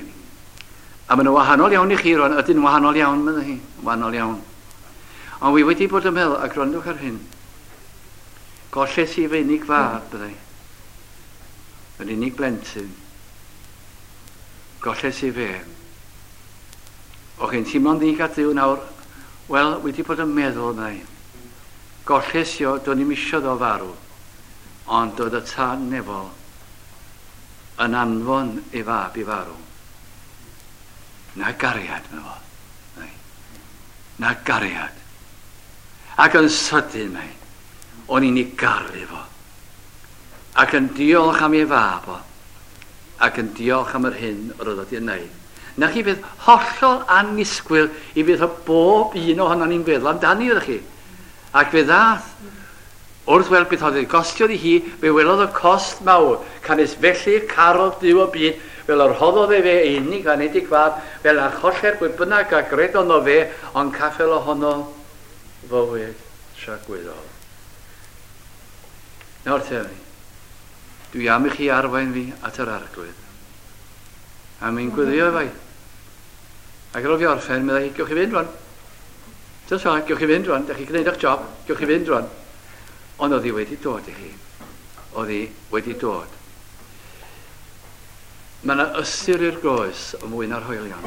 A maen nhw wahanol iawn i chi rwan, ydyn wahanol iawn, meddai hi, wahanol iawn. Ond wi wedi bod yn meddwl, a gwrandwch ar hyn, golles i fy unig fab, byddai. Yr unig blentyn. Golles i fe. O chi'n teimlo'n ddig at Dduw nawr? Wel, wedi bod yn meddwl, meddai. Golles i o, do'n i'm isio ddo farw. Ond doedd y tân nefol yn anfon ei fab i farw. Na gariad, meddai fo. Na gariad. Ac yn sydyn, mae, o'n i'n ei garu fo. Ac yn diolch am ei fab o. Ac yn diolch am yr hyn yr oedd wedi wneud. Na chi beth hollol annisgwyl i beth o bob un ohono ni'n feddwl amdani, ydych chi. Ac fe ddath, wrth weld beth oedd ei gostio i hi, fe welodd y cost mawr, canys felly carodd Duw y byd, fel yr rhoddodd efe ei unig anedig fab, fel na choller pwy bynnag a gredodd ynddo fe, ond caffel ohono fywyd tragwyddol. Nawr te, dwi am i chi arwain fi at yr Arglwydd. A mi'n gweddio efo i. Ac ar ôl fi orffen, meddai hi, gewch chi fynd rwan. Just fel, gewch chi fynd rwan, da chi gwneud eich job, gewch chi fynd rwan. Ond oedd hi wedi dod i chi. Oedd hi wedi dod. Mae yna ystyr i'r groes o mwy na'r hoelion.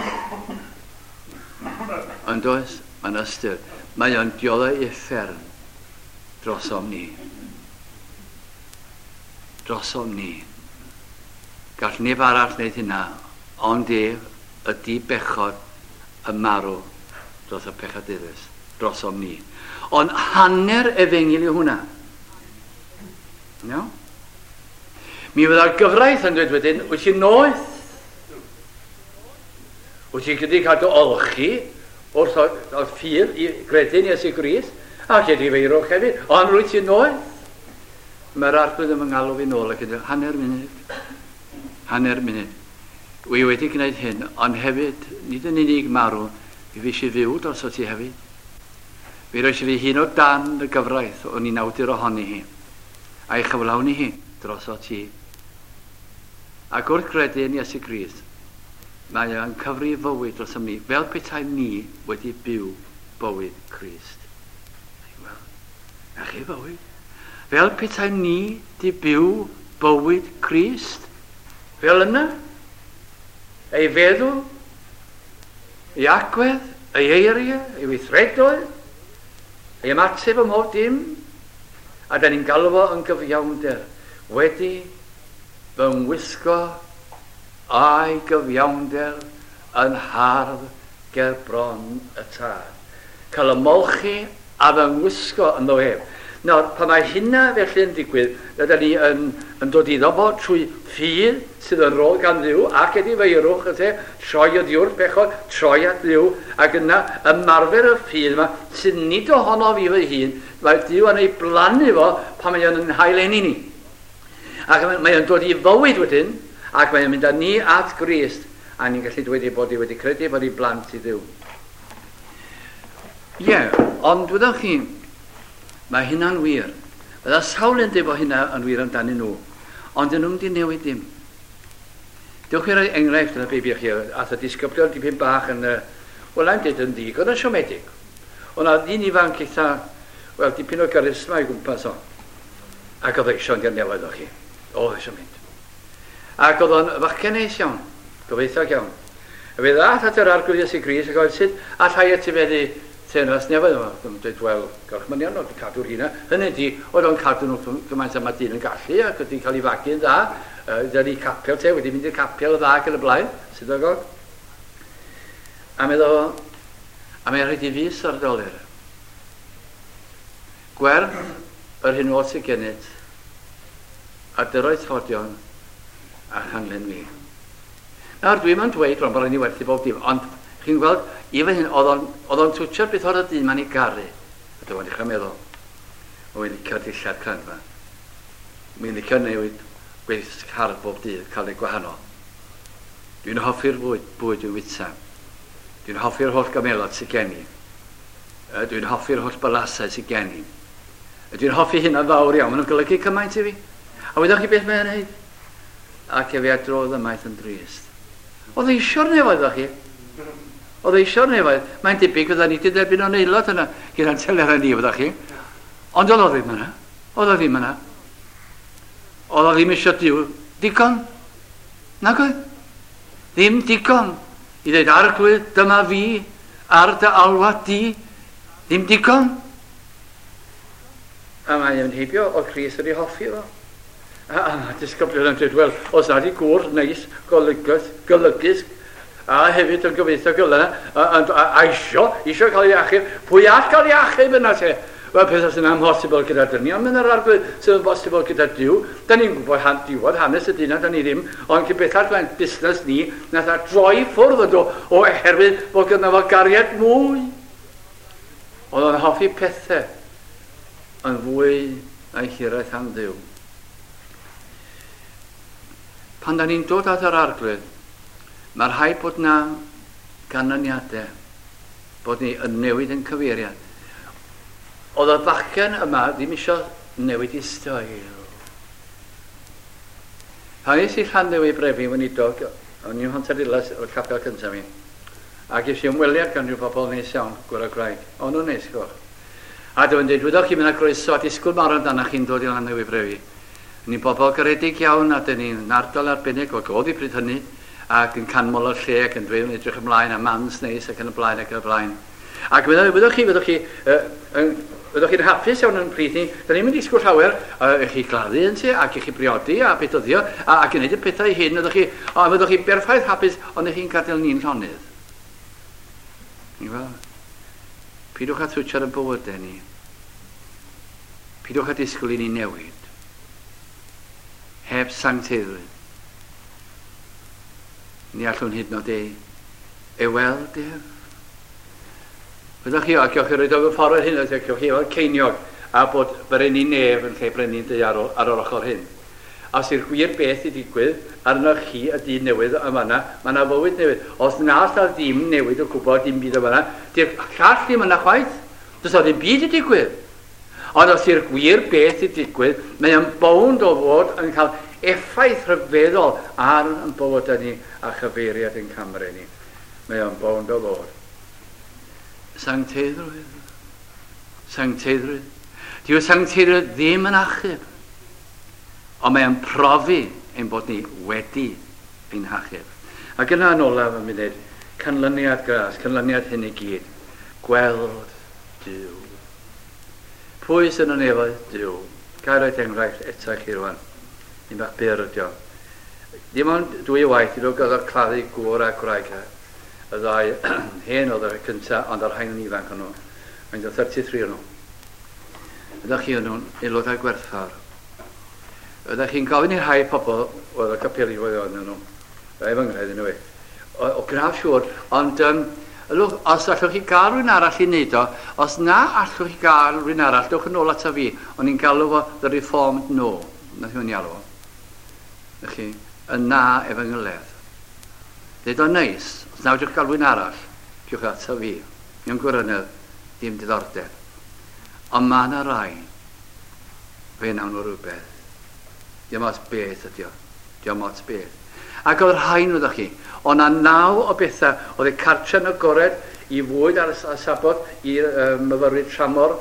Ond oes, mae yna ystyr. Mae o'n dioddau uffern drosom ni. Drosom ni. Gall neb arall wneud hynna, ond ef ydi bechod y marw dros y pechadurus, drosom ni. Ond hanner efengyl yw hwnna. No? Mi fydda'r gyfraith yn dweud wedyn, wyt ti'n noeth? Wyt ti'n gyda cael dy olchi wrth o'r ffydd i gredu'n Iesu Grist, ac wedi feirwch hefyd, ond rwyt ti'n noeth? Mae'r Arglwydd yn fy ngalw fi nôl ac yn dweud, hanner munud, hanner munud. Wi wedi gwneud hyn, ond hefyd, nid yn unig marw, mi fues i fyw droso ti hefyd. Mi roes i fi hun o dan y gyfraith o'n i'n awdur ohoni hi, a'i chyflawni hi droso ti. Ac wrth gredu yn Iesu Grist, mae o'n cyfri fywyd drosom ni, fel petai ni wedi byw bywyd Crist. Wel, na chi fywyd. Fel petai ni di byw bywyd Crist. Fel yna, ei feddwl, ei agwedd, ei eiriau, ei weithredoedd, ei ymateb ym mhob dim, a da ni'n galw fo yn gyfiawnder, wedi fy ngwisgo a'i gyfiawnder yn hardd ger bron y tad. Cael ymolchi a fy ngwisgo ynddo ef. Nawr, pan mae hynna felly yn digwydd, rydyn ni yn, yn dod iddo fo trwy ffydd sydd yn rôl gan Dduw ac edifeirwch, yte, troi o ddiwrth bechod, troi at Dduw, ac yna ymarfer y ffydd yma, sydd nid ohono fi fy hun, mae Duw yn ei blannu fo pan mae o'n hail-eni ni. Ac mae o'n dod i fywyd wedyn, ac mae o'n mynd â ni at Grist, a ni'n gallu dweud ei bod ni wedi credu bod ni'n blant i Dduw. Ie, yeah, ond wyddoch chi, mae hynna'n wir. Bydda sawl yn dweud bod hynna yn wir amdanyn nhw, ond dyn nhw'n di newid dim. Dewch i roi enghraifft yn y Beibl chi, ath y disgyblion dipyn bach yn, wel, I'm dweud yn ddigon yn siomedig. Ond a ddyn ifanc eitha, wel, dipyn o garisma i gwmpas o. Ac oedd eisiau yn nefoedd o chi. Oedd eisiau mynd. Ac oedd o'n fachgen neis iawn, gobeithio iawn. A fe ddath at yr Arglwydd Iesu Grist ac oedd sut allai etifeddu teyrnas nefoedd yma. Dwi'n dweud, wel, gorchmynion oedd cadw'r hynna. Hynny ydi, oedd o'n cadw nhw gymaint â mae dyn yn gallu ac wedi cael ei fagu'n dda. Dyna ni capel te, wedi mynd i'r capel y dda ac yn y blaen, synagog. A meddwl, a mae'n rhaid i fus ar dolur. Gwerth yr hyn oll sydd gennyt, a dyroedd tlodion a chanlyn fi. Nawr, dwi'm yn dweud rwan bod rhaid ni werthu bob dim, ond chi'n gweld, i fy hun, oedd o'n twtsio'r beth oedd y dyn ma'n ei garu. A dyma'n dechrau meddwl, o, fi'n licio'r dillad crand ma. Mi'n licio newid gweithio car bob dydd, cael ei gwahanol. Dwi'n hoffi'r bwyd, bwyd dwi'n wyta. Dwi'n hoffi'r holl gamelod sydd gen i. Dwi'n hoffi'r holl balasau sydd gen i. Dwi'n hoffi hynna'n fawr iawn, maen nhw'n golygu cymaint i fi. A wyddoch chi beth mae'n neud? Ac efe a drodd ymaith yn drist. Oedd eisiau'r nefoedd, chi? Oedd eisiau'r nefoedd. Mae'n debyg fydda ni wedi derbyn o'n aelod yna gyda'n telerau ni, fydda chi. Ond oedd o ddim yna. Oedd o ddim yna. Oedd o ddim eisiau Duw digon. Nag oedd? Ddim digon. I ddweud, Arglwydd, dyma fi, ar dy alwad di. Ddim digon. A mae'n heibio o Crist wedi hoffi fo. A mae disgyblion yn dweud, wel, os nad i gŵr neis, golygus, golygus, a hefyd yn gobeithio gyda, a isio cael ei achub, pwy all cael ei achub yna te? Wel, pethau sy'n amhosibl gyda dynion, mynd yr Arglwydd sydd yn bosibl gyda Duw. Da ni'n gwybod diwedd hanes y dyn, da ni ddim, ond cyn bellad mae'n busnes ni, nath a droi ffwrdd ydw, oherwydd bod gyda fo gariad mwy. Oedd o'n hoffi pethau yn fwy na'i hiraeth am Dduw. Pan da ni'n dod at yr Arglwydd, mae rhaid bod na ganlyniadau, bod ni yn newid yn cyfeiriad. Oedd y bachgen yma ddim eisiau newid i stael. Pan es i Llanddewi Brefi weinidog, o'n i'n Mhontarddulais o'r capel cyntaf mi, ac es i ymweliad gan rhyw bobl neis iawn, gwr a gwraig. O'n nhw'n neis, goch. A dwi'n dweud, wyddoch chi, mae'n groeso a disgwyl mawr amdanoch chi'n dod i Llanddewi Brefi. Ni'n bobl garedig iawn a dyn ni'n ardal arbennig o oedd i pryd hynny ac yn canmol o'r lle ac yn dweud yn edrych ymlaen a mans neis ac yn y blaen ac yn y blaen. Ac wyddwch chi, fyddwch chi'n hapus iawn yn pryd ni. Da ni'n mynd i disgwyl llawer i chi gladdu yn ti ac i chi briodi a bedyddio ac i wneud y pethau hyn. Fyddwch chi, o, fyddwch chi'n berffaith hapus ond ych chi'n gadael ni'n llonydd. Ni'n gweld? Pidwch â twtsio'r y bywydau ni. Pidwch â disgwyl i ni newid. Heb sancteiddrwydd. Ni allwn hyd yn oed ei weld ef. Byddwch chi, ac gewch chi roed o fy ffordd hyn, ac gewch chi weld ceiniog, a bod brenin nef yn lle brenin daear ar yr ochr hyn. A os yw'r gwir beth i digwydd, arnoch chi y dyn newydd yma yna, mae yna fywyd newydd. Os na allan ddim newid o gwbl, dim byd yma yna, di'r llall ddim yna chwaith. Does o ddim byd i digwydd. Ond os yw'r gwir beth i digwydd, mae o'n bownd o fod yn cael effaith rhyfeddol ar yn bywydau ni a chyfeiriad yn camre ni. Mae o'n bownd o fod. Sancteiddrwydd. Sancteiddrwydd. Dyw sancteiddrwydd ddim yn achub, ond mae o'n profi ein bod ni wedi ein hachub. Ac yna yn olaf yn munud, canlyniad gras, canlyniad hyn i gyd, gweld Duw. Pwy sy'n yn nefoedd? Duw. Gael roed enghraifft eto i chi rwan. Un bach byr ydi o. Dim ond dwy waith i ddod gael claddu gŵr a gwraig. Y ddau hen oedd y cyntaf, ond o'r rhain yn ifanc o'n nhw. Mae'n dod 33 o'n nhw. Ydych chi yn nhw'n aelodau gwerthfawr. Ydych chi'n gofyn i rhai pobl, oedd y capeli oedd o'n nhw, rai fy ngred yn o, o gnaf siŵr, ond look, os allwch chi gael rhywun arall i wneud o, os na allwch chi gael rhywun arall, dewch yn ôl ata fi, o'n i'n galw fo The Reformed No. Nath i'n alw fo. Chi, y na efengyledd. Dweud o'n neis, os na fedrwch gael rhywun arall, diwch ata fi. Mewn gwirionedd, ddim diddordeb. Ond mae yna rai, fe nawn nhw rhywbeth. Diolch ots beth ydi o. Diolch ots beth. Ac oedd rhain oeddech chi. Oedd 'na 9 o bethau. Oedd y cartre'n agored i fwyd ar y Sabot, i myfyrwyr tramor,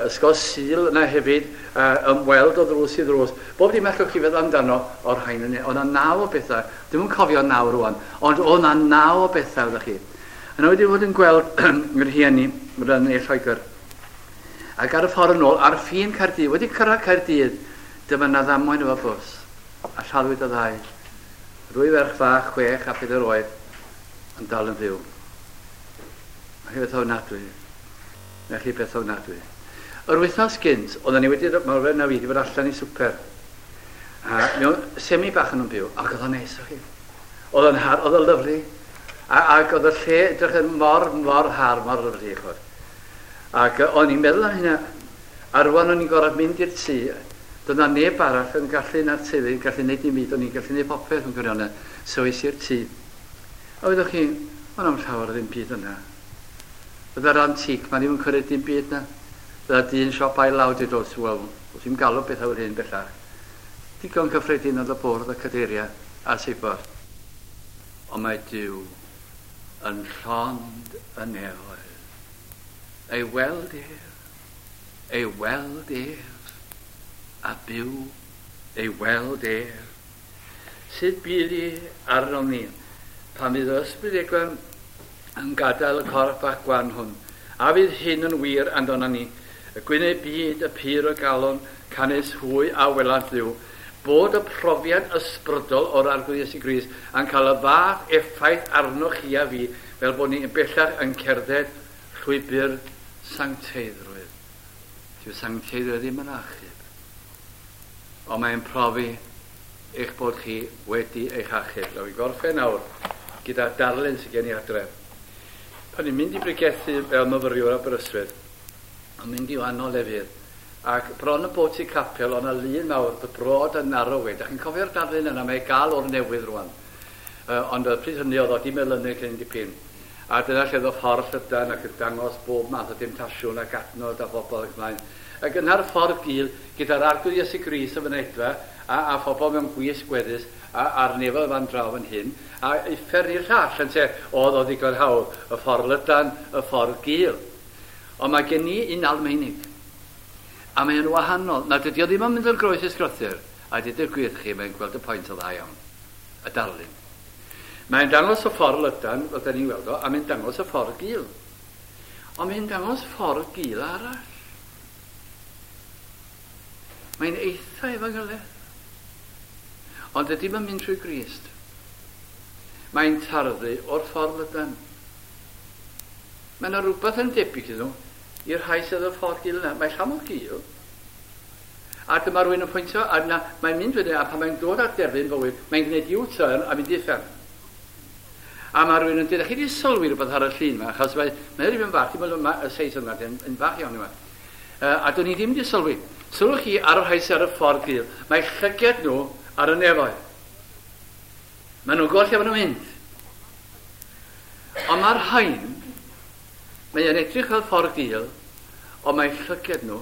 ysgol Sul yna hefyd, ymweld o ddrws i ddrws. Bob dim allwch chi feddwl amdano o'r rhain yna. Oedd 'na 9 o bethau. Dwi'm yn cofio 9 rwan, ond oedd 'na 9 o bethau oeddech chi. Yna wedi bod yn gweld yr rhieni yn ne Lloegr. Ac ar y ffordd yn ôl, ar ffin Caerdydd, wedi cyrraedd Caerdydd, dyma 'na ddamwain efo bws, a lladdwyd y ddau. Rwy ferch fach, 6 a 4 oed, yn dal yn fyw. Mae chi beth ofnadwy. Mae chi beth ofnadwy. Yr wythnos gynt, oedden ni wedi, mae'r fe na fi wedi bod allan i swper. A mewn semi bach yn nhw'n byw, ac oedd o'n neis o chi. Oedd o'n har, oedd o'n lyfli. Ac oedd y lle edrych yn mor, mor har, mor lyfli, chod. Ac o'n i'n meddwl am hynna, a rwan o'n i'n gorfod mynd i'r tŷ, doedd 'na neb arall yn gallu na'r teulu yn gallu neud dim byd, o'n i'n gallu neud popeth yn gwirionedd, so es i'r tŷ. A wyddoch chi, o'n am llawer o ddim byd yna. Bydda'r antique ma ddim yn cymryd dim byd na. Bydda dyn siop ail law dweud, oes, wel, oes i'm galw bethau fel hyn bellach. Digon cyffredin oedd y bwrdd, y cadeiriau a'r seibor. Ond mae Duw yn llond y nefoedd. Ei weld ef, ei weld ef, a byw, ei weld ef. Sut bydd hi arnom ni pan fydd yr Ysbryd Egwan yn gadael y corff bach gwan hwn? A fydd hyn yn wir amdano ni? Y gwyneb byd, y pur o galon, canys hwy a welant Dduw. Bod y profiad ysbrydol o'r Arglwydd Iesu Grist yn cael y fath effaith arnoch chi a fi, fel bod ni bellach yn cerdded llwybr sancteiddrwydd. Dyw sancteiddrwydd ddim yn achub, ond mae'n profi eich bod chi wedi eich achub. Nawr i gorffen nawr gyda darlun sydd gen i adre. Pan i'n mynd i bregethu fel myfyriwr Aberystwyth, yn mynd i wahanol lefydd, ac bron y bod ti capel, o'na lun mawr, the broad and narrow way. Da chi'n cofio'r darlun yna, mae gael o'r newydd rwan. Ond y pryd hynny oedd o di melynu cyn dipyn. A dyna lle oedd y ffordd llydan ac yn dangos bob math o demtasiwn ac adnod a phobl ac ymlaen. Ac yna'r ffordd gul gyda'r Arglwydd Iesu Grist y fynedfa a phobl mewn gwisg gweddus a'r nefoedd fan draw fan hyn, a uffern i'r llall, ynte, oedd o ddigon hawdd, y ffordd lydan, y ffordd gul. Ond mae gen i un Almaenig, a mae o'n wahanol. Na, dydy o ddim yn mynd o'r groes i'r sgrythur, a dweud y gwir chi, mae'n gweld y pwynt o dda iawn, y darlun. Mae'n dangos y ffordd lydan, fel da ni'n weld o, a mae'n dangos y ffordd gul. Ond mae'n dangos ffordd gul arall. Mae'n eitha efengyledd. Ond ydy mae'n mynd trwy Grist. Mae'n tarddu o'r ffordd lydan. Mae yna rhywbeth yn debyg iddyn nhw i'r rhai sydd y ffordd gul yna. Mae llawn o gul. A dyma rhywun yn pwyntio, a yna mae'n mynd wedyn, a pan mae'n dod at derfyn bywyd, mae'n gwneud U-turn a mynd i uffern. A mae rhywun yn dweud, chi wedi sylwi rhywbeth ar y llun yma, achos mae rhywun fach, dim ond y seis yma, yn fach iawn yma. A dyn ni ddim wedi sylwi. Sylwch chi ar y rhai sydd ar y ffordd gul. Mae llyged nhw ar y nefoedd. Maen nhw'n gweld lle maen nhw'n mynd. Ond mae'r rhain, mae'n edrych fel ffordd gul, ond mae llyged nhw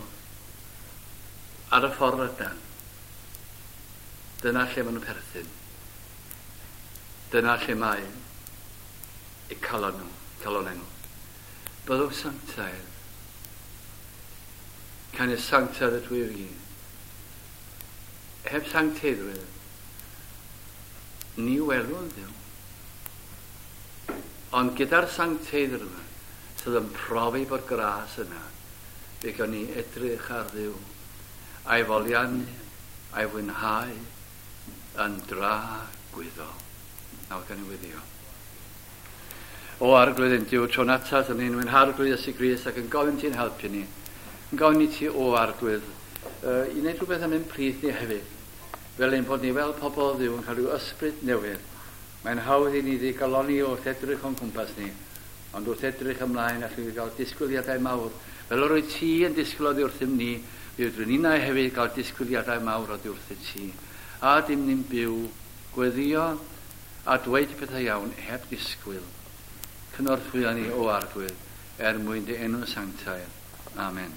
ar y ffordd lydan. Dyna lle maen nhw'n perthyn. Dyna lle mae eu calon nhw, calonau nhw. Byddwch sanctaidd. Canys sanctaidd ydw i fi. Heb sancteiddrwydd, ni welwn Dduw. Ond gyda'r sancteiddrwydd sydd yn profi bod gras yna, fe gawn ni edrych ar Dduw, a'i foliannu, a'i fwynhau yn dragwyddol. Nawr gan i weddio. O Arglwydd ein Duw, tro'n atat yn ein Harglwydd Iesu Grist ac yn gofyn ti'n helpu ni. Yn gofyn i ti, o Arglwydd, i wneud rhywbeth am ein plith ni hefyd. Fel ein bod ni fel pobl Dduw yn cael rhyw ysbryd newydd. Mae'n hawdd i ni ddigalonni wrth edrych o'n cwmpas ni, ond wrth edrych ymlaen allwn ni gael disgwyliadau mawr. Fel yr wyt ti yn disgwyl oddi wrthym ni, mi fedrwn ninnau hefyd gael disgwyliadau mawr oddi wrthyt ti. A dim ni'n byw, gweddio a dweud pethau iawn heb ddisgwyl. Cynorthwyo ni, o Arglwydd, er mwyn dy enw sanctaidd. Amen.